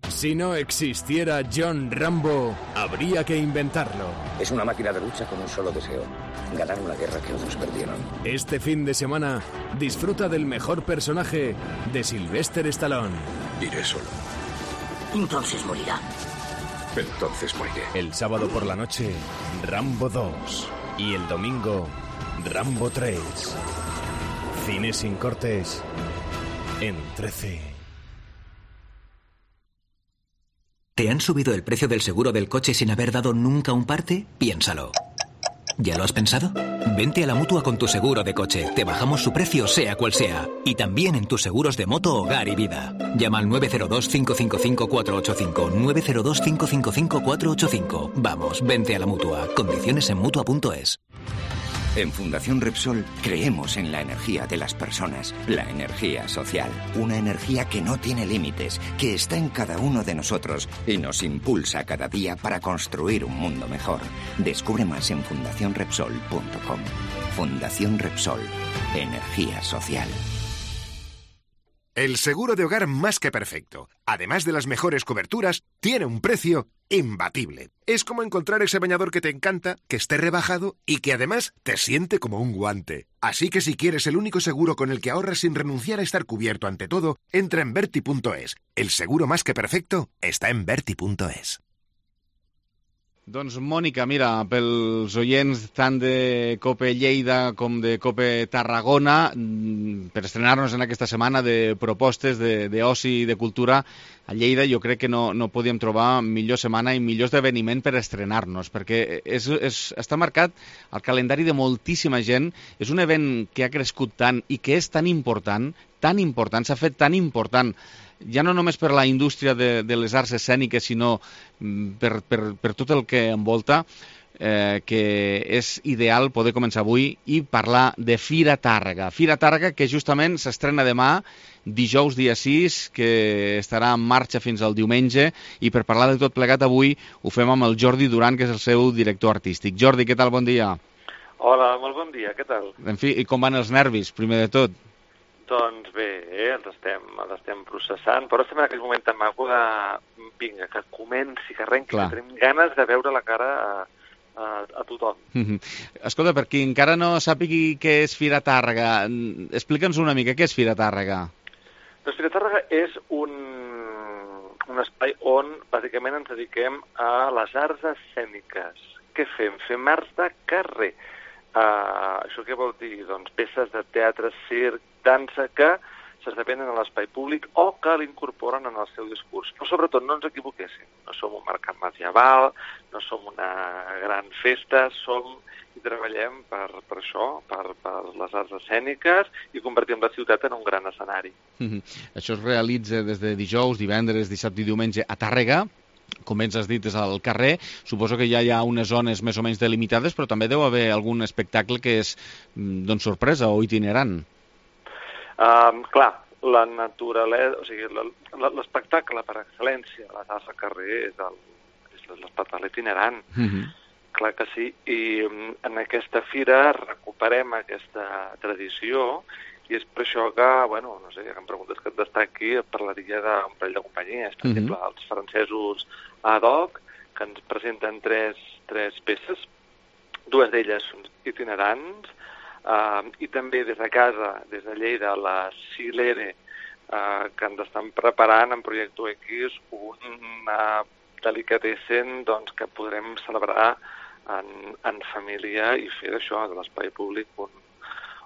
Si no existiera John Rambo, habría que inventarlo. Es una máquina de lucha con un solo deseo: ganar una guerra que otros perdieron. Este fin de semana, disfruta del mejor personaje de Sylvester Stallone. Iré solo. Entonces morirá. Entonces moriré. El sábado por la noche, Rambo 2. Y el domingo, Rambo 3. Cine sin cortes en 13. ¿Te han subido el precio del seguro del coche sin haber dado nunca un parte? Piénsalo. ¿Ya lo has pensado? Vente a la Mutua con tu seguro de coche. Te bajamos su precio sea cual sea. Y también en tus seguros de moto, hogar y vida. Llama al 902-555-485. 902-555-485. Vamos, vente a la Mutua. Condiciones en Mutua.es. En Fundación Repsol creemos en la energía de las personas, la energía social, una energía que no tiene límites, que está en cada uno de nosotros y nos impulsa cada día para construir un mundo mejor. Descubre más en fundacionrepsol.com. Fundación Repsol, energía social. El seguro de hogar más que perfecto, además de las mejores coberturas, tiene un precio imbatible. Es como encontrar ese bañador que te encanta, que esté rebajado y que además te siente como un guante. Así que si quieres el único seguro con el que ahorras sin renunciar a estar cubierto ante todo, entra en Berti.es. El seguro más que perfecto está en Berti.es. Doncs, Mònica, mira, pels oients tant de COPE Lleida com de COPE Tarragona, per estrenar-nos en aquesta setmana de propostes d'oci i de cultura a Lleida, jo crec que no podíem trobar millor setmana i millor esdeveniment per estrenar-nos, perquè està marcat al calendari de moltíssima gent. És un event que ha crescut tant i que és tan important, s'ha fet tan important, ja no només per la indústria de les arts escèniques, sinó per tot el que envolta, que és ideal poder començar avui i parlar de Fira Tàrrega. Fira Tàrrega, que justament s'estrena demà, dijous dia 6, que estarà en marxa fins al diumenge, i per parlar de tot plegat avui ho fem amb el Jordi Duran, que és el seu director artístic. Jordi, què tal? Bon dia. Hola, molt bon dia, què tal? En fi, i com van els nervis, primer de tot? Doncs bé, els estem processant, però estem en aquell moment tan maco de vinga, que comenci, que arrenqui, que tenim ganes de veure la cara a tothom. Escolta, per qui encara no sàpigui què és Fira Tàrrega, explica'ns una mica, què és Fira Tàrrega? Doncs Fira Tàrrega és un espai on bàsicament ens dediquem a les arts escèniques, què fem? Fem arts de carrer. Això què vol dir? Doncs peces de teatre, circ, dansa, que s'esdevenen a l'espai públic o que l'incorporen en el seu discurs. Però sobretot no ens equivoquéssim. No som un mercat medieval, no som una gran festa, i treballem per això, per les arts escèniques i convertim la ciutat en un gran escenari. Això es realitza des de dijous, divendres, dissabte i diumenge a Tàrrega. Com ens has dit, és al carrer. Suposo que ja hi ha unes zones més o menys delimitades, però també deu haver algun espectacle que és sorpresa o itinerant. Clar, la naturalesa, o sigui, l'espectacle per excel·lència de les arts al carrer és l'espectacle itinerant. Clar que sí, i en aquesta fira recuperem aquesta tradició i és per això que, bueno, no sé, que em preguntes que et destaqui, parlaria d'un parell de companyies, per exemple, els francesos ad hoc, que ens presenten tres peces, dues d'elles són itinerants, i també des de casa, des de Lleida, la Silere, que ens estan preparant en Projecte X una delicatessen que podrem celebrar en família i fer d'això, de l'espai públic,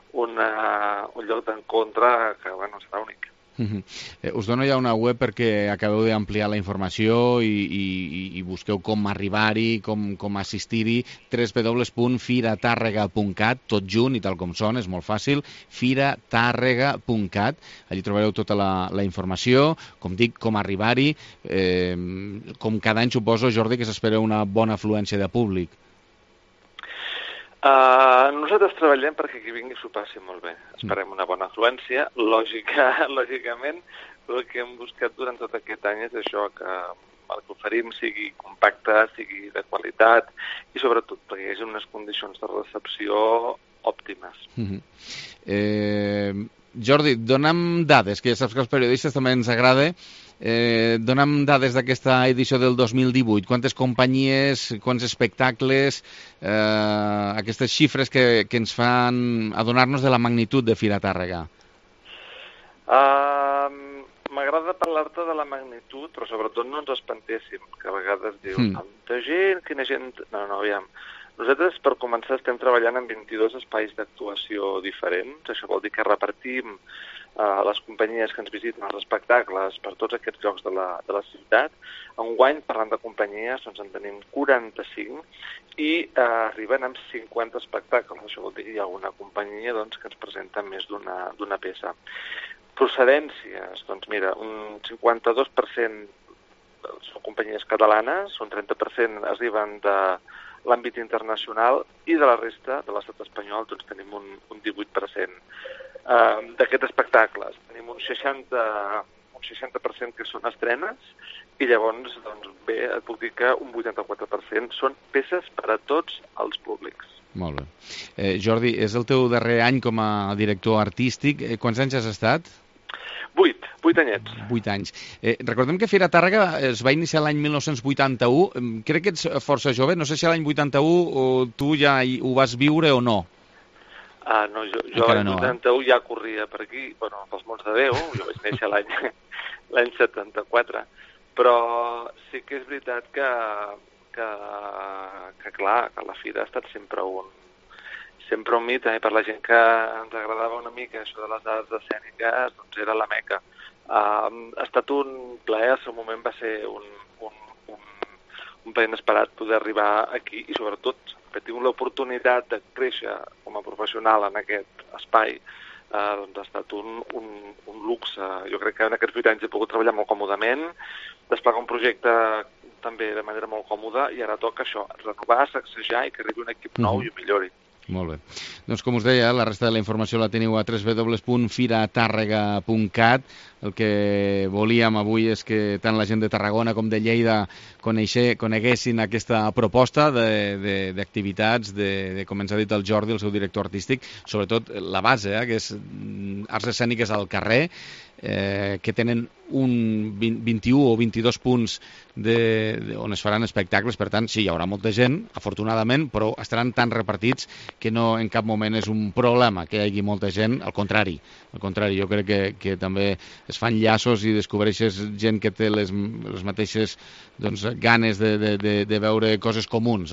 un lloc d'encontre que, bueno, serà únic. Us dono ja una web perquè acabeu d'ampliar la informació i busqueu com arribar-hi, com assistir-hi, www.firatàrrega.cat, tot junt i tal com són, és molt fàcil, firatàrrega.cat, allí trobareu tota la informació, com dic, com arribar-hi, com cada any suposo, Jordi, que s'espera una bona afluència de públic. Nosaltres treballem perquè qui vingui s'ho passi molt bé. Esperem una bona afluència. Lògicament, el que hem buscat durant tot aquest any és això, que el que oferim sigui compacte, sigui de qualitat i sobretot perquè hi hagi unes condicions de recepció òptimes. Jordi, dona'm dades, que ja saps que als periodistes també ens agrada. Dona'm dades d'aquesta edició del 2018. Quantes companyies, quants espectacles, aquestes xifres que ens fan adonar-nos de la magnitud de Fira Tàrrega. M'agrada parlar-te de la magnitud, però sobretot no ens espantéssim, que a vegades diu, tanta gent, quina gent... No, aviam. Nosaltres, per començar, estem treballant en 22 espais d'actuació diferents. Això vol dir que repartim les companyies que ens visiten els espectacles per tots aquests llocs de la ciutat. Enguany, parlant de companyies, doncs en tenim 45 i arriben amb 50 espectacles. Això vol dir que hi ha alguna companyia que ens presenta més d'una peça. Procedències, doncs mira, un 52% són companyies catalanes, un 30% arriben de l'àmbit internacional i de la resta de l'estat espanyol doncs tenim un 18%. D'aquests espectacles tenim un 60% que són estrenes i llavors, doncs bé, et puc dir que un 84% són peces per a tots els públics. Molt bé. Jordi, és el teu darrer any com a director artístic. Quants anys has estat? 8 anyets. 8 anys. Recordem que Fira Tàrrega es va iniciar l'any 1981. Crec que ets força jove. No sé si l'any 81 tu ja ho vas viure o no. No, jo l'any 81 ja corria per aquí, bueno, pels Monts de Déu, jo vaig néixer l'any 74, però sí que és veritat que clar, que la Fira ha estat sempre un mite, per la gent que ens agradava una mica això de les arts escèniques, doncs era la meca. Ha estat un plaer, al seu moment va ser un plaer inesperat poder arribar aquí i sobretot que tinc l'oportunitat de créixer com a professional en aquest espai, doncs ha estat un luxe. Jo crec que en aquests 8 anys he pogut treballar molt còmodament, desplegar un projecte també de manera molt còmoda i ara toca això, renovar, sacsejar i que arribi un equip nou i ho millori. Molt bé. Doncs com us deia, la resta de la informació la teniu a www.firatàrrega.cat. El que volíem avui és que tant la gent de Tarragona com de Lleida coneguessin aquesta proposta d'activitats, com ens ha dit el Jordi, el seu director artístic, sobretot la base, que és arts escèniques al carrer, que tenen un 21 o 22 punts on es faran espectacles. Per tant, sí, hi haurà molta gent, afortunadament, però estaran tan repartits que no en cap moment és un problema que hi hagi molta gent. Al contrari, jo crec que també es fan llaços i descobreixes gent que té les mateixes ganes de veure coses comuns.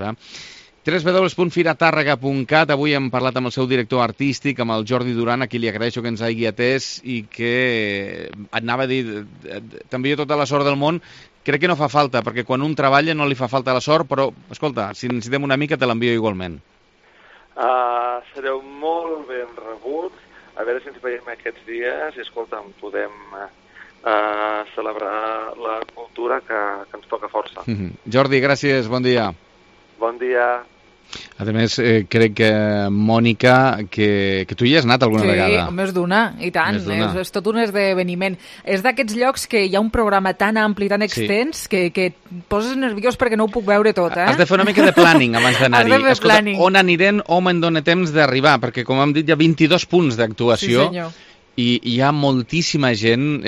www.firatàrrega.cat. Avui hem parlat amb el seu director artístic, amb el Jordi Duran, a qui li agraeixo que ens hagi atès i que anava a dir, t'envio tota la sort del món. Crec que no fa falta, perquè quan un treballa no li fa falta la sort, però, escolta, si necessitem una mica te l'envio igualment. Sereu molt ben rebuts. A veure si ens veiem aquests dies i, escolta'm, podem celebrar la cultura que ens toca força. Jordi, gràcies, bon dia. Bon dia. A més, crec que, Mònica, que tu hi has anat alguna vegada. Sí, més d'una, i tant. És tot un esdeveniment. És d'aquests llocs que hi ha un programa tan ampli, tan extens, que et poses nerviós perquè no ho puc veure tot. Has de fer una mica de planning abans d'anar-hi. Has de fer planning. On anirem o me'n dóna temps d'arribar, perquè, com hem dit, hi ha 22 punts d'actuació. Sí, senyor. I hi ha moltíssima gent.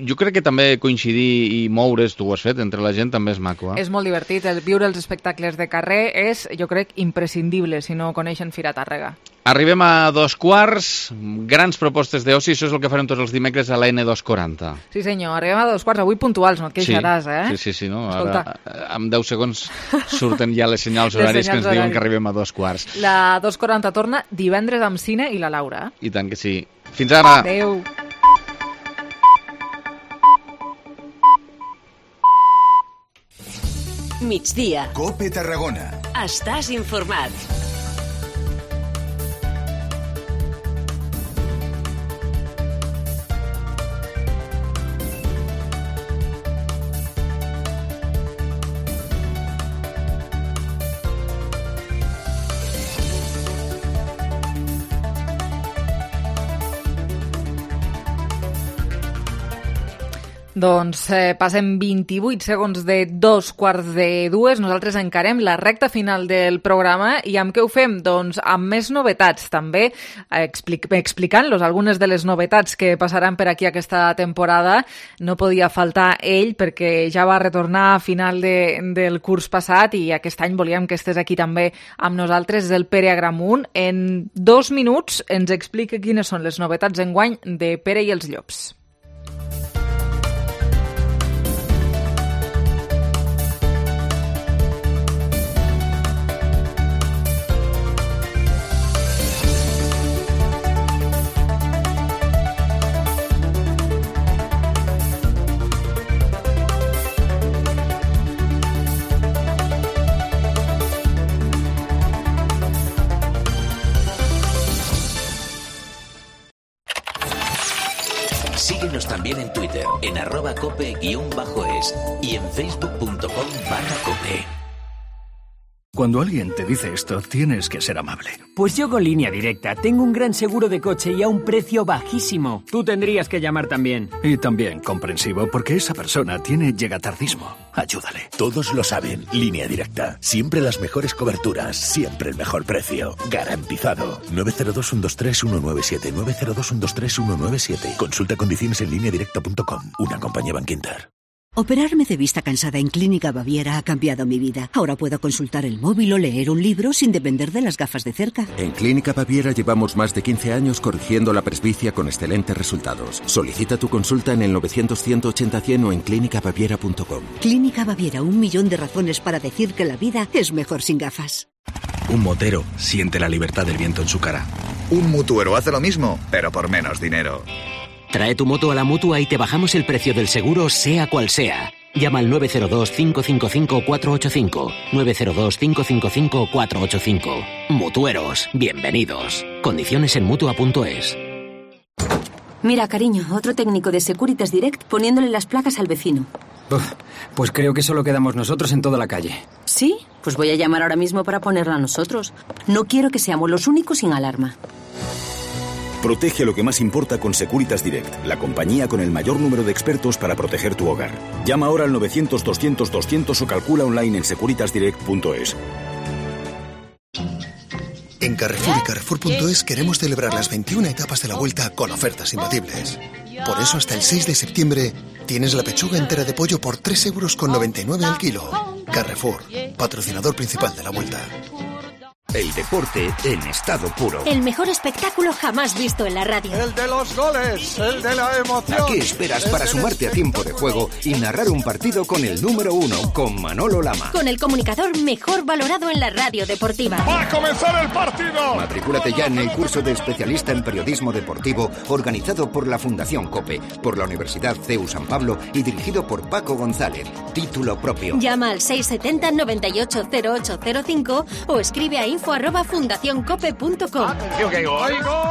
Jo crec que també coincidir i moure's, tu ho has fet, entre la gent també és maco. És molt divertit. Viure els espectacles de carrer és, jo crec, imprescindible si no coneixen Fira Tàrrega. Arribem a 2:15, grans propostes d'oci, això és el que farem tots els dimecres a la N240. Sí senyor, arribem a 2:15, avui puntuals, no et queixaràs, Sí, no? Ara, en 10 segons surten ja les senyals horaris que ens diuen que arribem a 2:15. La 2:40 torna divendres amb Cine i la Laura. I tant que sí. Fins ara. Adéu. Migdia. COPE Tarragona. Estàs informat. Doncs passem 28 segons de 2:15. Nosaltres encarem la recta final del programa i amb què ho fem? Doncs amb més novetats, també explicant-los algunes de les novetats que passaran per aquí aquesta temporada. No podia faltar ell perquè ja va retornar a final del curs passat i aquest any volíem que estés aquí també amb nosaltres. És el Pere Agramunt. En 2 minuts ens explica quines són les novetats enguany de Pere i els Llops. Síguenos también en Twitter, en @cope_es y en facebook.com/cope. Cuando alguien te dice esto, tienes que ser amable. Pues yo con Línea Directa tengo un gran seguro de coche y a un precio bajísimo. Tú tendrías que llamar también. Y también comprensivo, porque esa persona tiene llegatardismo. Ayúdale. Todos lo saben. Línea Directa. Siempre las mejores coberturas. Siempre el mejor precio. Garantizado. 902-123-197. 902-123-197. Consulta condiciones en lineadirecta.com. Una compañía Bankinter. Operarme de vista cansada en Clínica Baviera ha cambiado mi vida. Ahora puedo consultar el móvil o leer un libro sin depender de las gafas de cerca. En Clínica Baviera llevamos más de 15 años corrigiendo la presbicia con excelentes resultados. Solicita tu consulta en el 900-180-100 o en clínicabaviera.com. Clínica Baviera, 1.000.000 de razones para decir que la vida es mejor sin gafas. Un motero siente la libertad del viento en su cara. Un mutuero hace lo mismo, pero por menos dinero. Trae tu moto a la Mutua y te bajamos el precio del seguro, sea cual sea. Llama al 902-555-485. 902-555-485. Mutueros, bienvenidos. Condiciones en Mutua.es. Mira, cariño, otro técnico de Securitas Direct poniéndole las placas al vecino. Pues creo que solo quedamos nosotros en toda la calle. ¿Sí? Pues voy a llamar ahora mismo para ponerla a nosotros. No quiero que seamos los únicos sin alarma. Protege lo que más importa con Securitas Direct, la compañía con el mayor número de expertos para proteger tu hogar. Llama ahora al 900-200-200 o calcula online en securitasdirect.es. En Carrefour y Carrefour.es queremos celebrar las 21 etapas de la Vuelta con ofertas imbatibles. Por eso hasta el 6 de septiembre tienes la pechuga entera de pollo por 3,99 € al kilo. Carrefour, patrocinador principal de la Vuelta. El deporte en estado puro. El mejor espectáculo jamás visto en la radio. El de los goles, el de la emoción. ¿A qué esperas para sumarte a tiempo de juego y narrar un partido con el número 1, con Manolo Lama? Con el comunicador mejor valorado en la radio deportiva. ¡Va a comenzar el partido! Matricúlate ya en el curso de especialista en periodismo deportivo organizado por la Fundación COPE, por la Universidad CEU San Pablo y dirigido por Paco González. Título propio. Llama al 670 98 0805 o escribe a info@fundacioncope.com.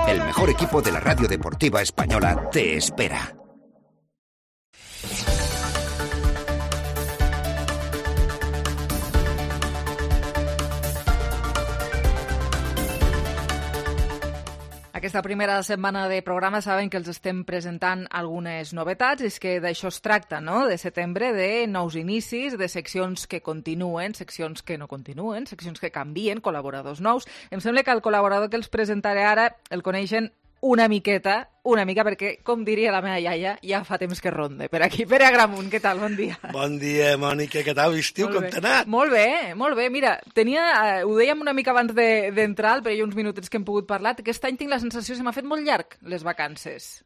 El mejor equipo de la radio deportiva española te espera. Aquesta primera setmana de programa saben que els estem presentant algunes novetats, és que d'això es tracta, no?, de setembre, de nous inicis, de seccions que continuen, seccions que no continuen, seccions que canvien, col·laboradors nous. Em sembla que el col·laborador que els presentaré ara el coneixen una mica, perquè, com diria la meva iaia, ja fa temps que ronde per aquí. Pere Agramunt, què tal? Bon dia. Bon dia, Mònica, què tal? Estiu, com t'ha anat? Molt bé. Mira, ho dèiem una mica abans d'entrar, però hi ha uns minutets que hem pogut parlar. Aquest any tinc la sensació que se m'ha fet molt llarg, les vacances.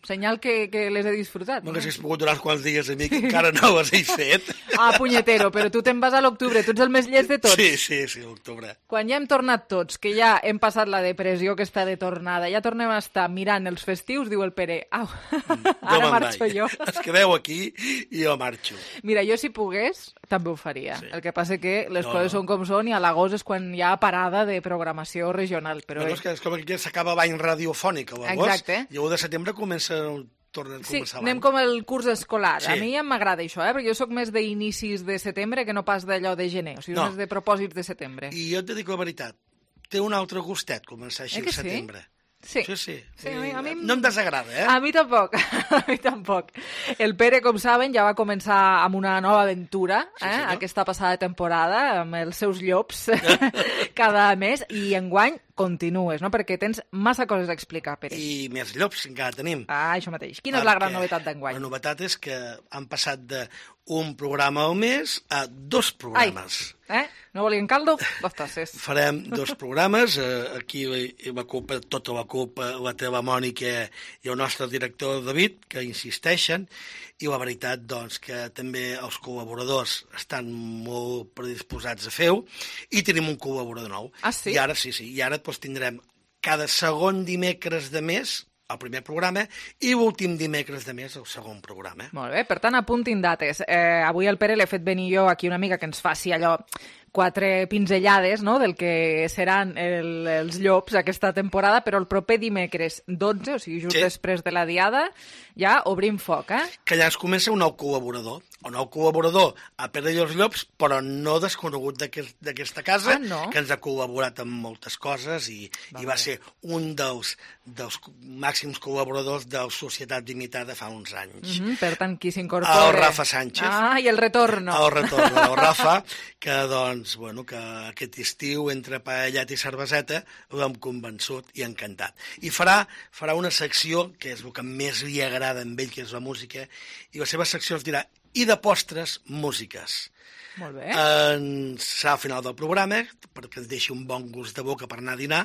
Senyal que les he disfrutat. No haguessis pogut donar uns quants dies a mi, que encara no les he fet. Ah, punyetero, però tu te'n vas a l'octubre, tu ets el més llest de tots. Sí, l'octubre. Quan ja hem tornat tots, que ja hem passat la depressió que està de tornada, ja tornem a estar mirant els festius, diu el Pere, au, ara marxo jo. Es quedeu aquí i jo marxo. Mira, jo si pogués, també ho faria. Sí. El que passa que les coses són com són i a l'agost és quan hi ha parada de programació regional. Però és com que s'acaba l'any radiofònic a l'agost i a 1 de setembre comença Sí, anem com el curs escolar. A mi ja m'agrada això, perquè jo sóc més d'inicis de setembre que no pas d'allò de gener, o sigui, més de propòsits de setembre. I jo et dic la veritat, té un altre gustet començar així al setembre. Sí. A mi no em desagrada, A mi tampoc. El Pere, com saben, ja va començar amb una nova aventura, aquesta passada temporada, amb els seus llops cada mes, i enguany continues, no? Perquè tens massa coses a explicar, Pere. I més llops encara tenim. Ah, això mateix. Quina és la gran novetat d'enguany? La novetat és que han passat d'un programa al mes a 2 programes. No volien caldo? 2 tasses. Farem 2 programes. Aquí tota la culpa la té la Mònica i el nostre director David, que insisteixen, i la veritat, doncs, que també els col·laboradors estan molt predisposats a fer-ho, i tenim un col·laborador nou. Ah, sí? I ara tindrem cada segon dimecres de mes el primer programa i l'últim dimecres de mes el segon programa. Molt bé, per tant, apuntin dates. Avui al Pere l'he fet venir jo aquí una mica que ens faci allò 4 pinzellades, no?, del que seran els llops aquesta temporada, però el proper dimecres 12, o sigui, just després de la diada, ja obrim foc, Que allà ens comença un nou col·laborador. Un nou col·laborador a Pere i els Llops, però no desconegut d'aquesta casa, que ens ha col·laborat amb moltes coses i va ser un dels màxims col·laboradors de la Societat Limitada fa uns anys. Per tant, qui s'incorpora? El Rafa Sánchez. Ah, i el retorno. El retorno del Rafa, que doncs, que aquest estiu, entre paellat i cerveseta, l'hem convençut i encantat. I farà una secció, que és el que més li agrada a ell, que és la música, i la seva secció es dirà i de postres, músiques. Molt bé. Serà al final del programa, perquè ens deixi un bon gust de boca per anar a dinar,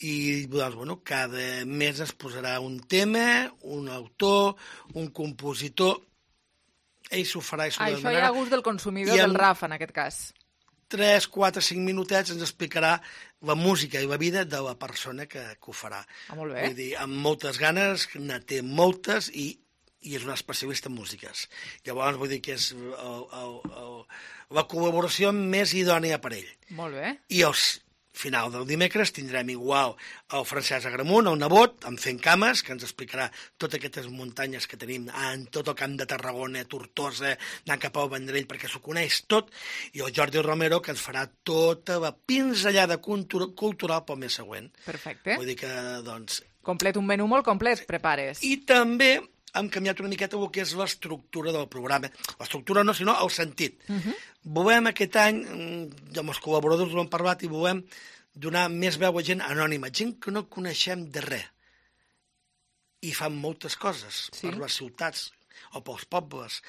i doncs, cada mes es posarà un tema, un autor, un compositor, ell s'ho farà i s'ho Això hi ha a gust del consumidor, del Rafa, en aquest cas. 3, 4, 5 minutets ens explicarà la música i la vida de la persona que ho farà. Molt bé. Vull dir, amb moltes ganes, ne té moltes i és un especialista en músiques. Llavors, vull dir que és la col·laboració més idònia per ell. Molt bé. I al final del dimecres tindrem igual el Francesc Agramunt, el nebot, amb Fent Cames, que ens explicarà totes aquestes muntanyes que tenim en tot el camp de Tarragona, Tortosa, anant cap al Vendrell, perquè s'ho coneix tot, i el Jordi Romero, que ens farà tota la pinzellada cultural pel mes següent. Perfecte. Vull dir que, doncs... Complet, un menú molt complet, prepares. I també hem canviat una miqueta el que és l'estructura del programa. L'estructura no, sinó el sentit. Volem aquest any, amb els col·laboradors ho hem parlat, i volem donar més veu a gent anònima, gent que no coneixem de res. I fan moltes coses per les ciutats. o pels pobles,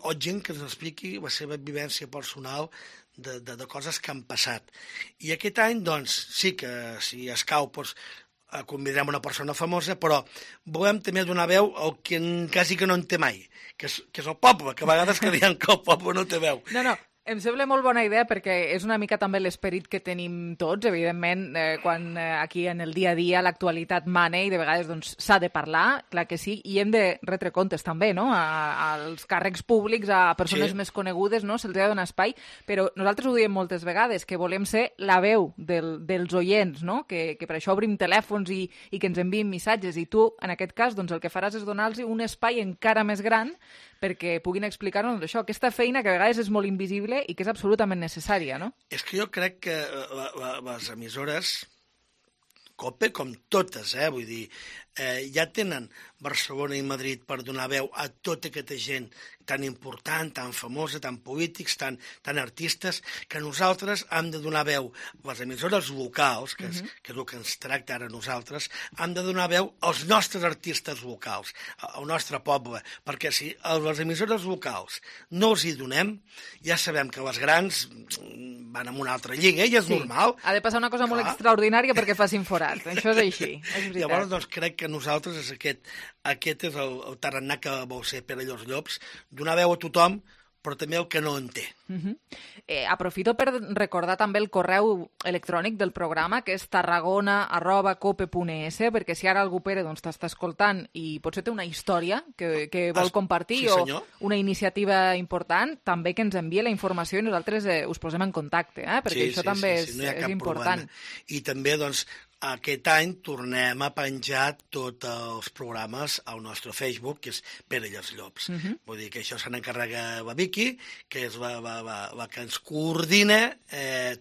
o gent que ens expliqui la seva vivència personal de coses que han passat. I aquest any, doncs, sí que si escau, doncs, convidarem una persona famosa, però volem també donar veu al que quasi que no en té mai, que és el poble, que a vegades creiem que el poble no té veu. No, em sembla molt bona idea perquè és una mica també l'esperit que tenim tots, evidentment, quan aquí en el dia a dia l'actualitat mana i de vegades doncs, s'ha de parlar, clar que sí, i hem de retre comptes també, no?, als càrrecs públics, a persones més conegudes, no?, se'ls ha de donar espai, però nosaltres ho diem moltes vegades, que volem ser la veu dels oients, no?, que per això obrim telèfons i que ens envien missatges, i tu, en aquest cas, doncs el que faràs és donar-los un espai encara més gran perquè puguin explicar-nos això, aquesta feina que a vegades és molt invisible i que és absolutament necessària, no? És que jo crec que les emissores, COPE, com totes, vull dir, ja tenen Barcelona i Madrid per donar veu a tota aquesta gent tan important, tan famosa, tan polítics, tan artistes, que nosaltres hem de donar veu, les emissores locals, que és el que ens tracta ara nosaltres, hem de donar veu als nostres artistes locals, al nostre poble, perquè si a les emissores locals no els hi donem, ja sabem que les grans van en una altra lliga, i és normal. Ha de passar una cosa molt extraordinària perquè facin forat, això és així, és veritat. Llavors, doncs, crec que nosaltres aquest és el tarannà que vol ser Pere Llops, donar veu a tothom, però també el que no en té. Aprofito per recordar també el correu electrònic del programa, que és tarragona@cope.es, perquè si ara algú, Pere, t'està escoltant i potser té una història que vol compartir o una iniciativa important, també que ens envie la informació i nosaltres us posem en contacte, perquè això també és important. I també, doncs, aquest any tornem a penjar tots els programes al nostre Facebook, que és Pere Llops. Vull dir que això se n'encarrega la Vicky, que és la que ens coordina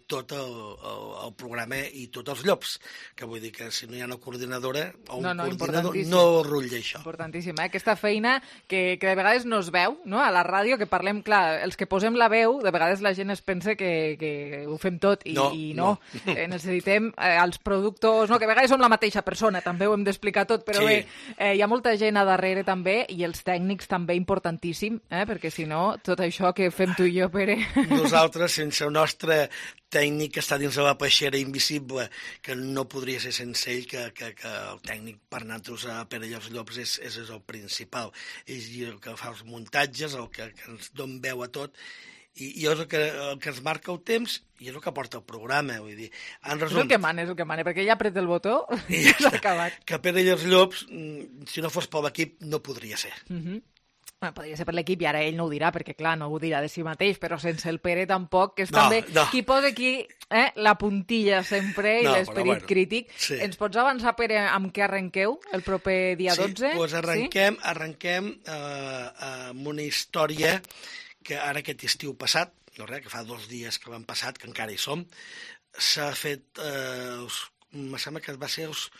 tot el programa i tots els llops, que vull dir que si no hi ha una coordinadora o un coordinador no rutlla això. Importantíssim, aquesta feina que de vegades no es veu, no?, a la ràdio, que parlem, clar, els que posem la veu, de vegades la gent es pensa que ho fem tot i no. Necessitem els productors, no, que a vegades som la mateixa persona, també ho hem d'explicar tot, però bé, hi ha molta gent a darrere també, i els tècnics també importantíssim, perquè si no, tot això que fem tu i jo, Pere... Nosaltres, sense el nostre tècnic que està dins de la peixera invisible, que no podria ser sense ell, que el tècnic per nosaltres a Pere Llops és el principal. És el que fa els muntatges, el que ens dona veu a tot, i és el que ens marca el temps i és el que porta el programa, vull dir. És el que mana, perquè ella apreta el botó i s'ha acabat. Que Pere Llops, si no fos per l'equip, no podria ser. Podria ser per l'equip, i ara ell no ho dirà, perquè clar, no ho dirà de si mateix, però sense el Pere tampoc, que és també qui posa aquí la puntilla sempre i l'esperit crític. Ens pots avançar, Pere, amb què arrenqueu el proper dia 12? Sí, doncs arrenquem amb una història que ara aquest estiu passat, que fa 2 dies que l'han passat, que encara hi som, s'ha fet, em sembla que va ser els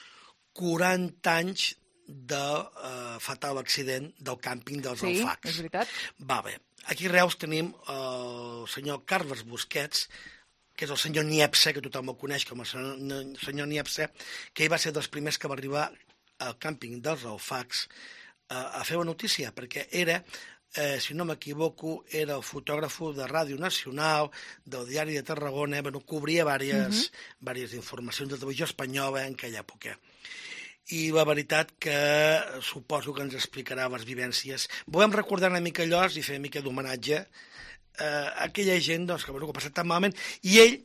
40 anys del fatal accident del càmping dels Alfacs. Sí, és veritat. Va bé. Aquí a Reus tenim el senyor Carles Busquets, que és el senyor Niepce, que tothom el coneix com el senyor Niepce, que ell va ser dels primers que va arribar al càmping dels Alfacs a fer la notícia, perquè era... si no m'equivoco, era el fotògraf de Ràdio Nacional, del Diari de Tarragona, cobria diverses informacions de televisió espanyola en aquella època. I la veritat que suposo que ens explicarà les vivències. Volem recordar una mica allò i fer una mica d'homenatge a aquella gent que ho ha passat tan malament, i ell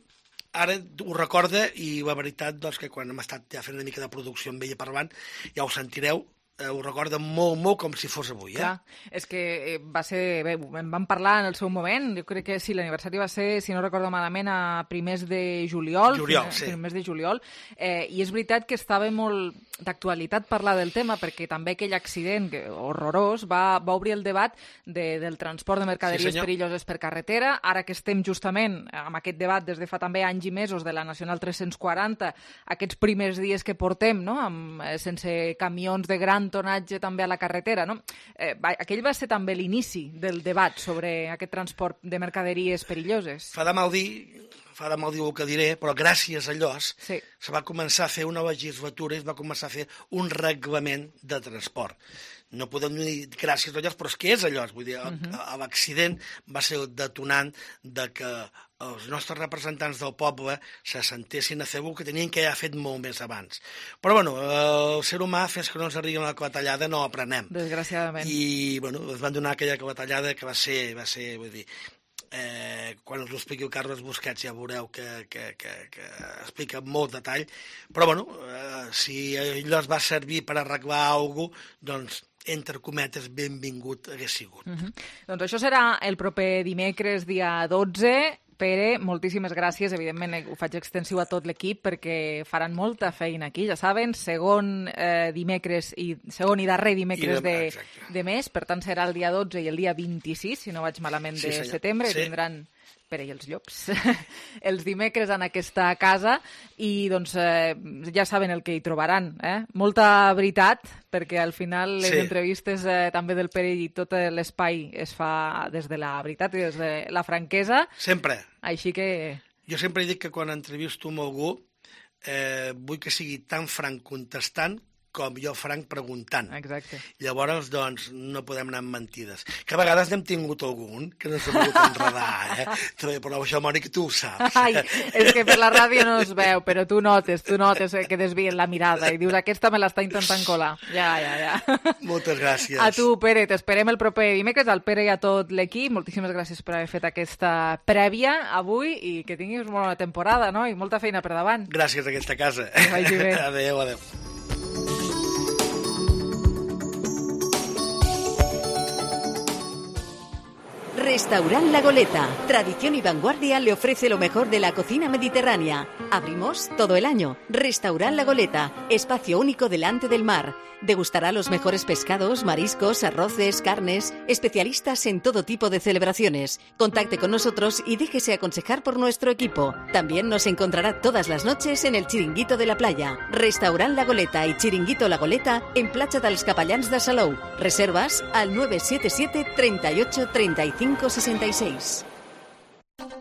ara ho recorda, i la veritat que quan hem estat ja fent una mica de producció amb ella parlant, ja ho sentireu, ho recorda molt, molt com si fos avui. Clar, és que va ser... Bé, en vam parlar en el seu moment, jo crec que sí, l'aniversari va ser, si no recordo malament, a primers de juliol. Primers de juliol, i és veritat que estava molt d'actualitat parlar del tema, perquè també aquell accident horrorós va obrir el debat del transport de mercaderies perilloses per carretera. Ara que estem justament amb aquest debat des de fa també anys i mesos de la Nacional 340, aquests primers dies que portem, no?, sense camions de gran tonatge també a la carretera, no? Aquell va ser també l'inici del debat sobre aquest transport de mercaderies perilloses. Fa fa de mal dir el que diré, però gràcies a Llos se va començar a fer una legislatura i es va començar a fer un reglament de transport. No podem dir gràcies a Llos, però és que és a Llos. Vull dir, l'accident va ser el detonant de que els nostres representants del poble se sentessin a fer el que tenien que haver fet molt més abans. Però, bueno, el ser humà, fins que no ens arribi una clatellada, no aprenem. Desgraciadament. I, bueno, es van donar aquella clatellada que va ser, vull dir, quan us ho expliqui el Carles Busquets ja veureu que explica molt detall, però bueno, si allò es va servir per arreglar alguna cosa, doncs entre cometes, benvingut hagués sigut. Doncs això serà el proper dimecres, dia 12. Pere, moltíssimes gràcies. Evidentment ho faig extensiu a tot l'equip perquè faran molta feina aquí, ja saben, segon i darrer dimecres de mes, per tant serà el dia 12 i el dia 26, si no vaig malament, de setembre, i tindran Pere i els llops, els dimecres en aquesta casa, i doncs ja saben el que hi trobaran. Molta veritat, perquè al final les entrevistes també del Pere i tot l'espai es fa des de la veritat i des de la franquesa. Sempre. Així que... Jo sempre dic que quan entrevisto amb algú vull que sigui tan franc contestant com jo franc preguntant. Exacte. Llavors, doncs, no podem anar amb mentides. Que a vegades n'hem tingut algun que no s'ha pogut enredar, Però això, Mònica, tu ho saps. Ai, és que per la ràdio no es veu, però tu notes que desvien la mirada i dius, aquesta me l'està intentant colar. Ja. Moltes gràcies. A tu, Pere, t'esperem el proper dimecres, al Pere i a tot l'equip. Moltíssimes gràcies per haver fet aquesta prèvia avui i que tinguis una bona temporada, no? I molta feina per davant. Gràcies a aquesta casa. Que vagi bé. Adéu. Restaurant La Goleta, tradición y vanguardia, le ofrece lo mejor de la cocina mediterránea. Abrimos todo el año. Restaurant La Goleta, espacio único delante del mar. Degustará los mejores pescados, mariscos, arroces, carnes, especialistas en todo tipo de celebraciones. Contacte con nosotros y déjese aconsejar por nuestro equipo. También nos encontrará todas las noches en el Chiringuito de la Playa. Restaurant La Goleta y Chiringuito La Goleta en Platja dels Capellans de Salou. Reservas al 977 38 35 66.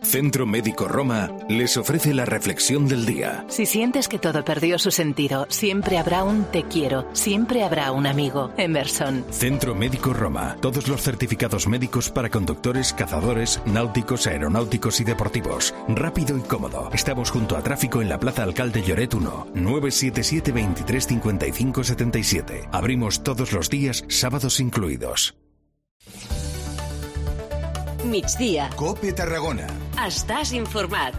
Centro Médico Roma les ofrece la reflexión del día. Si sientes que todo perdió su sentido, siempre habrá un te quiero, siempre habrá un amigo. Emerson. Centro Médico Roma. Todos los certificados médicos para conductores, cazadores, náuticos, aeronáuticos y deportivos. Rápido y cómodo. Estamos junto a Tráfico en la Plaza Alcalde Lloret 1. 977 23 55 77. Abrimos todos los días, sábados incluidos. Migdia. COPE Tarragona. Estàs informat.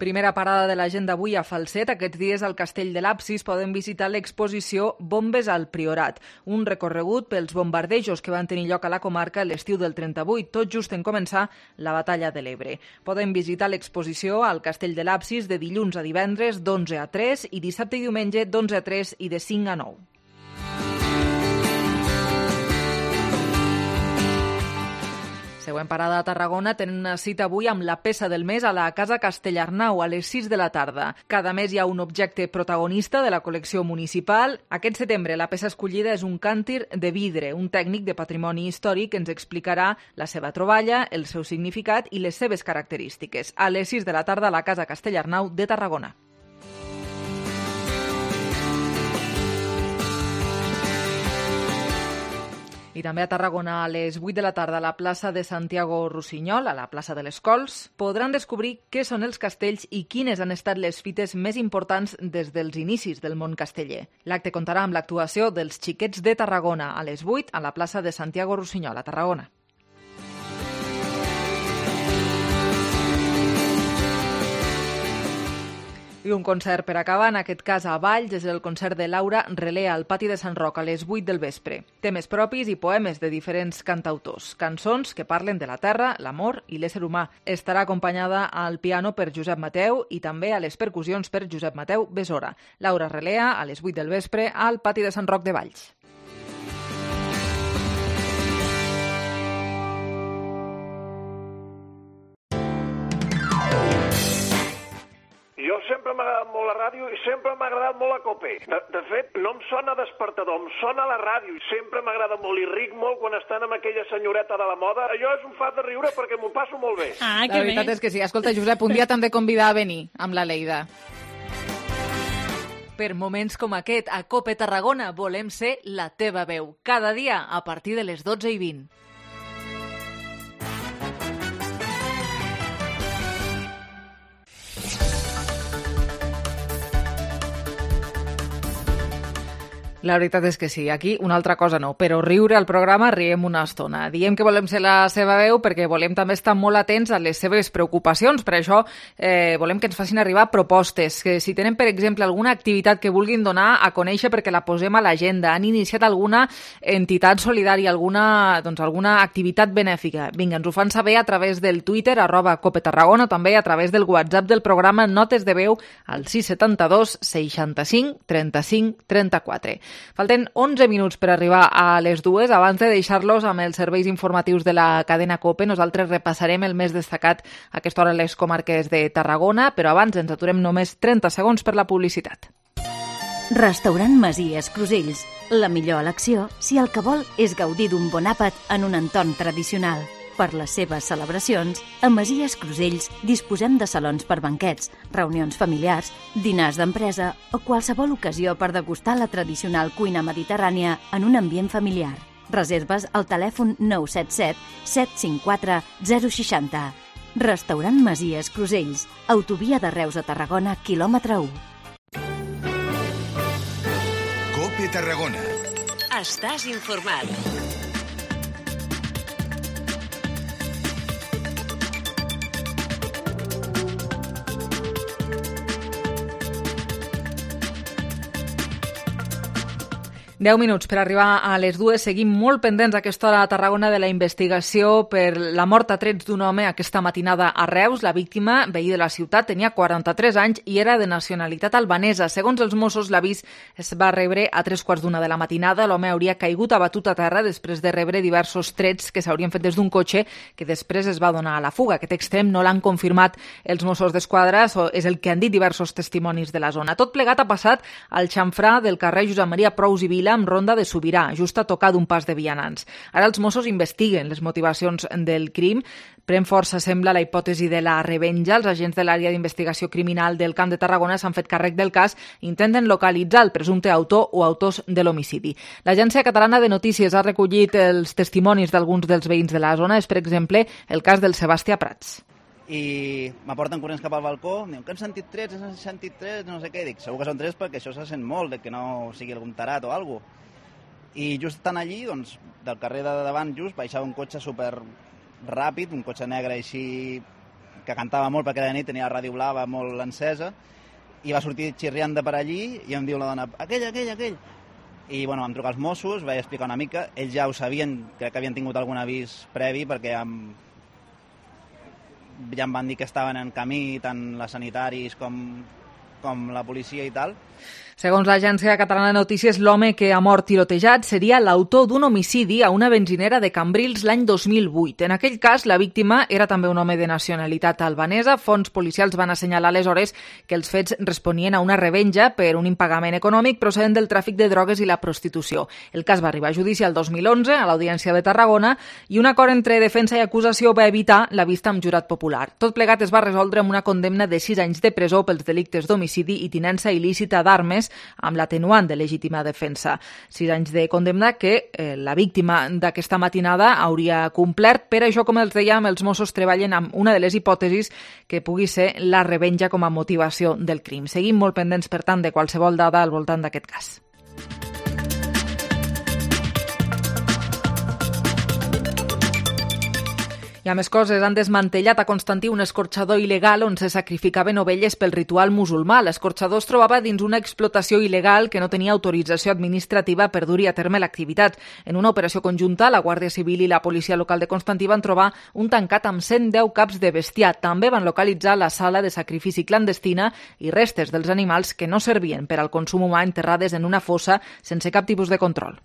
Primera parada de l'agenda avui a Falset. Aquests dies al Castell de l'Absis poden visitar l'exposició Bombes al Priorat, un recorregut pels bombardejos que van tenir lloc a la comarca l'estiu del 38, tot just en començar la batalla de l'Ebre. Poden visitar l'exposició al Castell de l'Absis de dilluns a divendres d'11 a 3 i dissabte i diumenge d'11 a 3 i de 5 a 9. Següent parada a Tarragona, tenen una cita avui amb la peça del mes a la Casa Castellarnau a les 6 de la tarda. Cada mes hi ha un objecte protagonista de la col·lecció municipal. Aquest setembre la peça escollida és un càntir de vidre, un tècnic de patrimoni històric que ens explicarà la seva troballa, el seu significat i les seves característiques. A les 6 de la tarda a la Casa Castellarnau de Tarragona. I també a Tarragona, a les 8 de la tarda, a la plaça de Santiago Rossinyol, a la plaça de les Cols, podran descobrir què són els castells i quines han estat les fites més importants des dels inicis del món casteller. L'acte comptarà amb l'actuació dels Xiquets de Tarragona a les 8 a la plaça de Santiago Rossinyol, a Tarragona. I un concert per acabar, en aquest cas a Valls, és el concert de Laura Relea al pati de Sant Roc a les 8 del vespre. Temes propis i poemes de diferents cantautors. Cançons que parlen de la terra, l'amor i l'ésser humà. Estarà acompanyada al piano per Josep Mateu i també a les percussions per Josep Mateu Besora. Laura Relea a les 8 del vespre al pati de Sant Roc de Valls. Jo sempre m'ha agradat molt la ràdio i sempre m'ha agradat molt la COPE. De fet, no em sona despertador, em sona la ràdio. Sempre m'agrada molt i ric molt quan estan amb aquella senyoreta de la moda. Allò és un fat de riure perquè m'ho passo molt bé. La veritat és que sí. Escolta, Josep, un dia t'hem de convidar a venir amb la Leida. Per moments com aquest, a COPE Tarragona volem ser la teva veu. Cada dia a partir de les 12:20. La veritat és que sí, aquí una altra cosa no, però riure al programa riem una estona. Diem que volem ser la seva veu perquè volem també estar molt atents a les seves preocupacions. Per això volem que ens facin arribar propostes, que si tenen, per exemple, alguna activitat que vulguin donar a conèixer perquè la posem a l'agenda, han iniciat alguna entitat solidària, alguna activitat benèfica. Vinga, ens ho fan saber a través del Twitter, @COPETarragona, també a través del WhatsApp del programa Notes de Veu al 672 65 35 34. Falten 11 minuts per arribar a les 2. Abans de deixar-los amb els serveis informatius de la cadena COPE, nosaltres repassarem el més destacat a aquesta hora a les comarques de Tarragona, però abans ens aturem només 30 segons per la publicitat. Restaurant Masies Crusells. La millor elecció si el que vol és gaudir d'un bon àpat en un entorn tradicional. Per les seves celebracions, a Masies Crusells disposem de salons per banquets, reunions familiars, dinars d'empresa o qualsevol ocasió per degustar la tradicional cuina mediterrània en un ambient familiar. Reserves al telèfon 977 754 060. Restaurant Masies Crusells, autovia de Reus a Tarragona, quilòmetre 1. COPE Tarragona. Estàs informat. 10 minuts per arribar a les 2. Seguim molt pendents a aquesta hora a Tarragona de la investigació per la mort a trets d'un home aquesta matinada a Reus. La víctima, veí de la ciutat, tenia 43 anys i era de nacionalitat albanesa. Segons els Mossos, l'avís es va rebre a 3:15 de la matinada. L'home hauria caigut abatut a terra després de rebre diversos trets que s'haurien fet des d'un cotxe que després es va donar a la fuga. Aquest extrem no l'han confirmat els Mossos d'Esquadra, és el que han dit diversos testimonis de la zona. Tot plegat ha passat al xamfrà del carrer Josep Maria Prous i Vila amb ronda de Sobirà, just a tocar d'un pas de vianants. Ara els Mossos investiguen les motivacions del crim. Pren força, sembla, la hipòtesi de la revenja. Els agents de l'àrea d'investigació criminal del Camp de Tarragona s'han fet càrrec del cas i intenten localitzar el presumpte autor o autors de l'homicidi. L'Agència Catalana de Notícies ha recollit els testimonis d'alguns dels veïns de la zona. És, per exemple, el cas del Sebastià Prats. I m'aporten corrents cap al balcó, em diuen que han sentit trets, no sé què. Dic, segur que són trets perquè això se sent molt, de que no sigui algun tarat o alguna cosa. I just estant allí, doncs, del carrer de davant just, baixava un cotxe super ràpid, un cotxe negre així que cantava molt perquè era de nit, tenia la ràdio blava molt encesa, i va sortir xirriant de per allí i em diu la dona, aquell. I bueno, vam trucar als Mossos, vaig explicar una mica, ells ja ho sabien, crec que havien tingut algun avís previ perquè ja em van dir que estaven en camí tant les sanitaris com la policia i tal. Segons l'Agència Catalana de Notícies, l'home que ha mort tirotejat seria l'autor d'un homicidi a una benzinera de Cambrils l'any 2008. En aquell cas, la víctima era també un home de nacionalitat albanesa. Fonts policials van assenyalar aleshores que els fets responien a una revenja per un impagament econòmic procedent del tràfic de drogues i la prostitució. El cas va arribar a judici el 2011 a l'Audiència de Tarragona i un acord entre defensa i acusació va evitar la vista amb jurat popular. Tot plegat es va resoldre amb una condemna de 6 anys de presó pels delictes d'homicidi i tinença il·lícita d'armes amb l'atenuant de legítima defensa. 6 anys de condemna que la víctima d'aquesta matinada hauria complert. Per això, com els dèiem, els Mossos treballen amb una de les hipòtesis que pugui ser la revenja com a motivació del crim. Seguim molt pendents, per tant, de qualsevol dada al voltant d'aquest cas. I a més coses, han desmantellat a Constantí un escorxador il·legal on se sacrificaven ovelles pel ritual musulmà. L'escorxador es trobava dins una explotació il·legal que no tenia autorització administrativa per dur-hi a terme l'activitat. En una operació conjunta, la Guàrdia Civil i la policia local de Constantí van trobar un tancat amb 110 caps de bestiar. També van localitzar la sala de sacrifici clandestina i restes dels animals que no servien per al consum humà enterrades en una fossa sense cap tipus de control.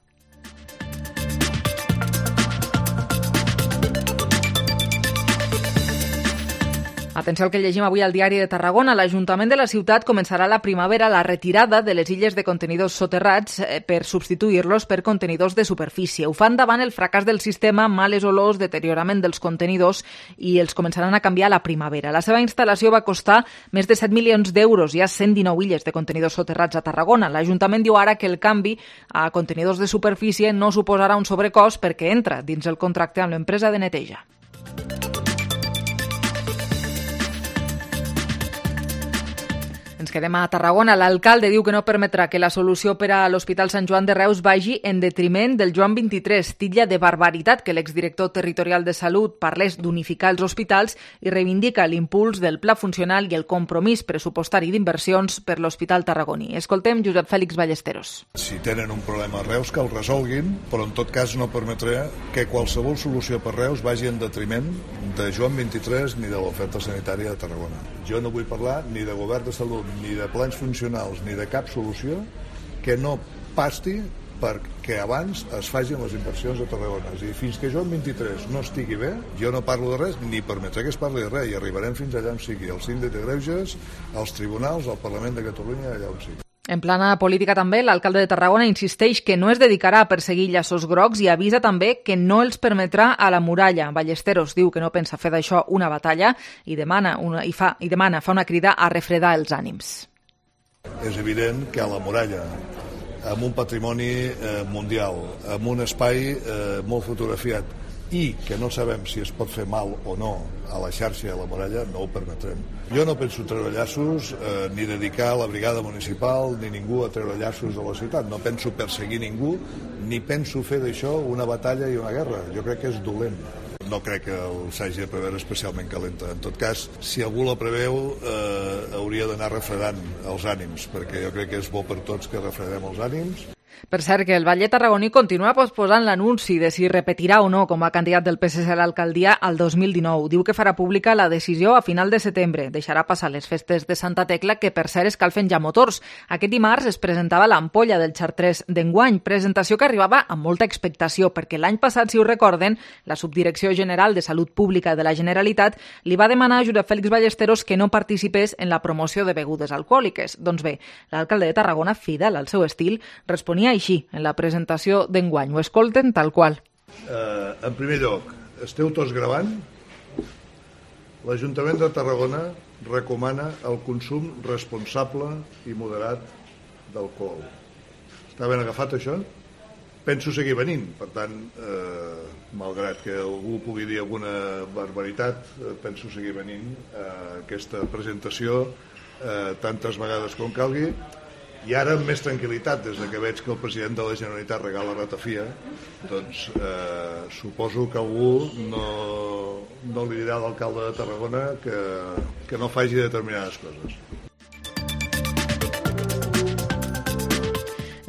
Atenció al que llegim avui al Diari de Tarragona. L'Ajuntament de la ciutat començarà a la primavera la retirada de les illes de contenidors soterrats per substituir-los per contenidors de superfície. Ho fan davant el fracàs del sistema, males olors, deteriorament dels contenidors i els començaran a canviar a la primavera. La seva instal·lació va costar més de 7 milions d'euros. Hi ha 119 illes de contenidors soterrats a Tarragona. L'Ajuntament diu ara que el canvi a contenidors de superfície no suposarà un sobrecost perquè entra dins el contracte amb l'empresa de neteja. Ens quedem a Tarragona. L'alcalde diu que no permetrà que la solució per a l'Hospital Sant Joan de Reus vagi en detriment del Joan 23. Titlla de barbaritat que l'exdirector territorial de Salut parlés d'unificar els hospitals i reivindica l'impuls del pla funcional i el compromís pressupostari d'inversions per l'Hospital Tarragoní. Escoltem Josep Fèlix Ballesteros. Si tenen un problema a Reus, que el resolguin, però en tot cas no permetrà que qualsevol solució per Reus vagi en detriment de Joan 23 ni de l'oferta sanitària de Tarragona. Jo no vull parlar ni de govern de salut, ni de plans funcionals, ni de cap solució que no pasti perquè abans es facin les inversions a Tarragona. I fins que Joan 23 no estigui bé, jo no parlo de res, ni permetré que es parli de res, i arribarem fins allà on sigui, al síndic de greuges, als tribunals, al Parlament de Catalunya, allà on sigui. En plana política també, l'alcalde de Tarragona insisteix que no es dedicarà a perseguir llaços grocs i avisa també que no els permetrà a la muralla. Ballesteros diu que no pensa fer d'això una batalla i fa una crida a refredar els ànims. És evident que a la muralla, amb un patrimoni mundial, amb un espai molt fotografiat i que no sabem si es pot fer mal o no a la xarxa de la muralla, no ho permetrem. Jo no penso treure llaços ni dedicar la brigada municipal ni ningú a treure llaços de la ciutat. No penso perseguir ningú ni penso fer d'això una batalla i una guerra. Jo crec que és dolent. No crec que s'hagi de preveure especialment calenta. En tot cas, si algú la preveu, hauria d'anar refredant els ànims, perquè jo crec que és bo per tots que refredem els ànims. Per cert, que el Batlle tarragoní continua posposant l'anunci de si repetirà o no com a candidat del PSC a l'alcaldia al 2019. Diu que farà pública la decisió a final de setembre. Deixarà passar les festes de Santa Tecla, que per cert escalfen ja motors. Aquest dimarts es presentava l'ampolla del Chartres d'enguany, presentació que arribava amb molta expectació, perquè l'any passat, si ho recorden, la Subdirecció General de Salut Pública de la Generalitat li va demanar a Josep Fèlix Ballesteros que no participés en la promoció de begudes alcohòliques. Doncs bé, l'alcalde de Tarragona, fidel al seu estil, responia així en la presentació d'enguany. Ho escolten tal qual. En primer lloc, esteu tots gravant? L'Ajuntament de Tarragona recomana el consum responsable i moderat d'alcohol. Està ben agafat això? Penso seguir venint, per tant, malgrat que algú pugui dir alguna barbaritat, penso seguir venint a aquesta presentació tantes vegades com calgui. I ara amb més tranquil·litat, des que veig que el president de la Generalitat regala ratafia, doncs suposo que algú no li dirà a l'alcalde de Tarragona que no faci determinades coses.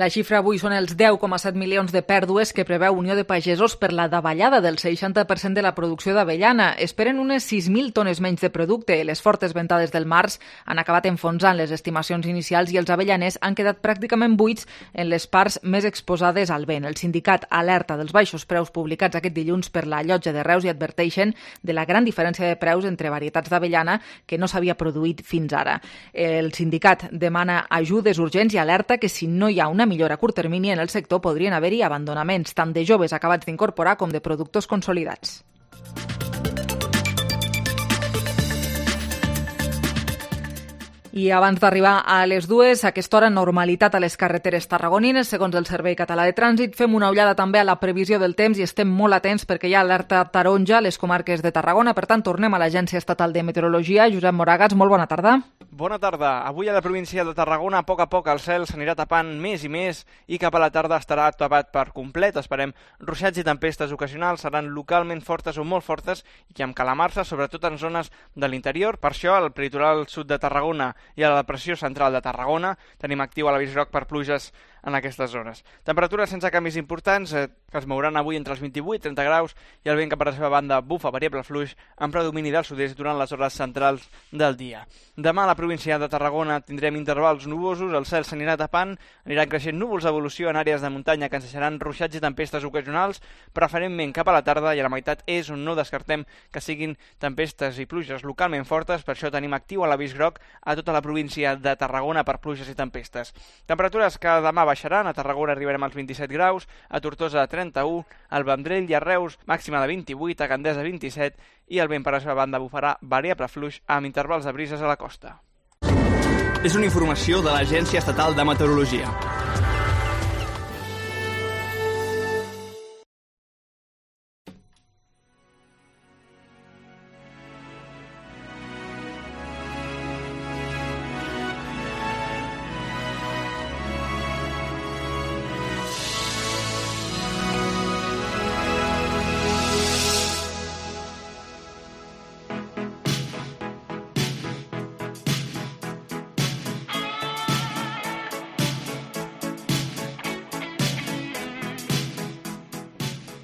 La xifra avui són els 10,7 milions de pèrdues que preveu Unió de Pagesos per la davallada del 60% de la producció d'avellana. Esperen unes 6.000 tones menys de producte. Les fortes ventades del març han acabat enfonsant les estimacions inicials i els avellaners han quedat pràcticament buits en les parts més exposades al vent. El sindicat alerta dels baixos preus publicats aquest dilluns per la Llotja de Reus i adverteixen de la gran diferència de preus entre varietats d'avellana que no s'havia produït fins ara. El sindicat demana ajudes urgents i alerta que si no hi ha una millora a curt termini en el sector podrien haver-hi abandonaments tant de joves acabats d'incorporar com de productors consolidats. I abans d'arribar a les 2, a aquesta hora, normalitat a les carreteres tarragonines. Segons el Servei Català de Trànsit, fem una ullada també a la previsió del temps i estem molt atents perquè hi ha alerta taronja a les comarques de Tarragona. Per tant, tornem a l'Agència Estatal de Meteorologia. Josep Moragas, molt bona tarda. Bona tarda. Avui a la província de Tarragona, a poc el cel s'anirà tapant més i més i cap a la tarda estarà tapat per complet. Esperem ruixats i tempestes ocasionals, seran localment fortes o molt fortes i amb calamarsa, sobretot en zones de l'interior. Per això, al peritoral sud de Tarragona i a la depressió central de Tarragona tenim actiu a l'avís groc per pluges en aquestes zones. Temperatures sense canvis importants, que es mouran avui entre els 28 i 30 graus, i el vent que per la seva banda bufa variable fluix amb predomini del sud-est durant les hores centrals del dia. Demà a la província de Tarragona tindrem intervals nuvosos, el cel s'anirà tapant, aniran creixent núvols d'evolució en àrees de muntanya que ens deixaran ruixats i tempestes ocasionals, preferentment cap a la tarda, i a la meitat és on no descartem que siguin tempestes i pluges localment fortes, per això tenim actiu l'avís groc a tota la província de Tarragona per pluges i tempestes. Temperatures que demà baixaran, a Tarragona arribarem als 27 graus, a Tortosa 31, al Vendrell i a Reus màxima de 28, a Gandesa 27, i el vent per la seva banda bufarà variable fluix amb intervals de brises a la costa. És una informació de l'Agència Estatal de Meteorologia.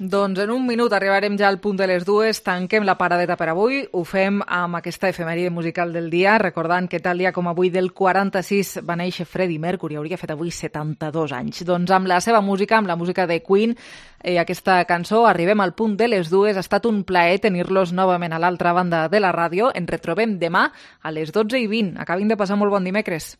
Doncs en un minut arribarem ja al punt de les 2, tanquem la paradeta per avui, ho fem amb aquesta efemèride musical del dia, recordant que tal dia com avui del 46 va néixer Freddie Mercury, hauria fet avui 72 anys. Doncs amb la seva música, amb la música de Queen, aquesta cançó, arribem al punt de les 2, ha estat un plaer tenir-los novament a l'altra banda de la ràdio, ens retrobem demà a les 12:20, acabin de passar molt bon dimecres.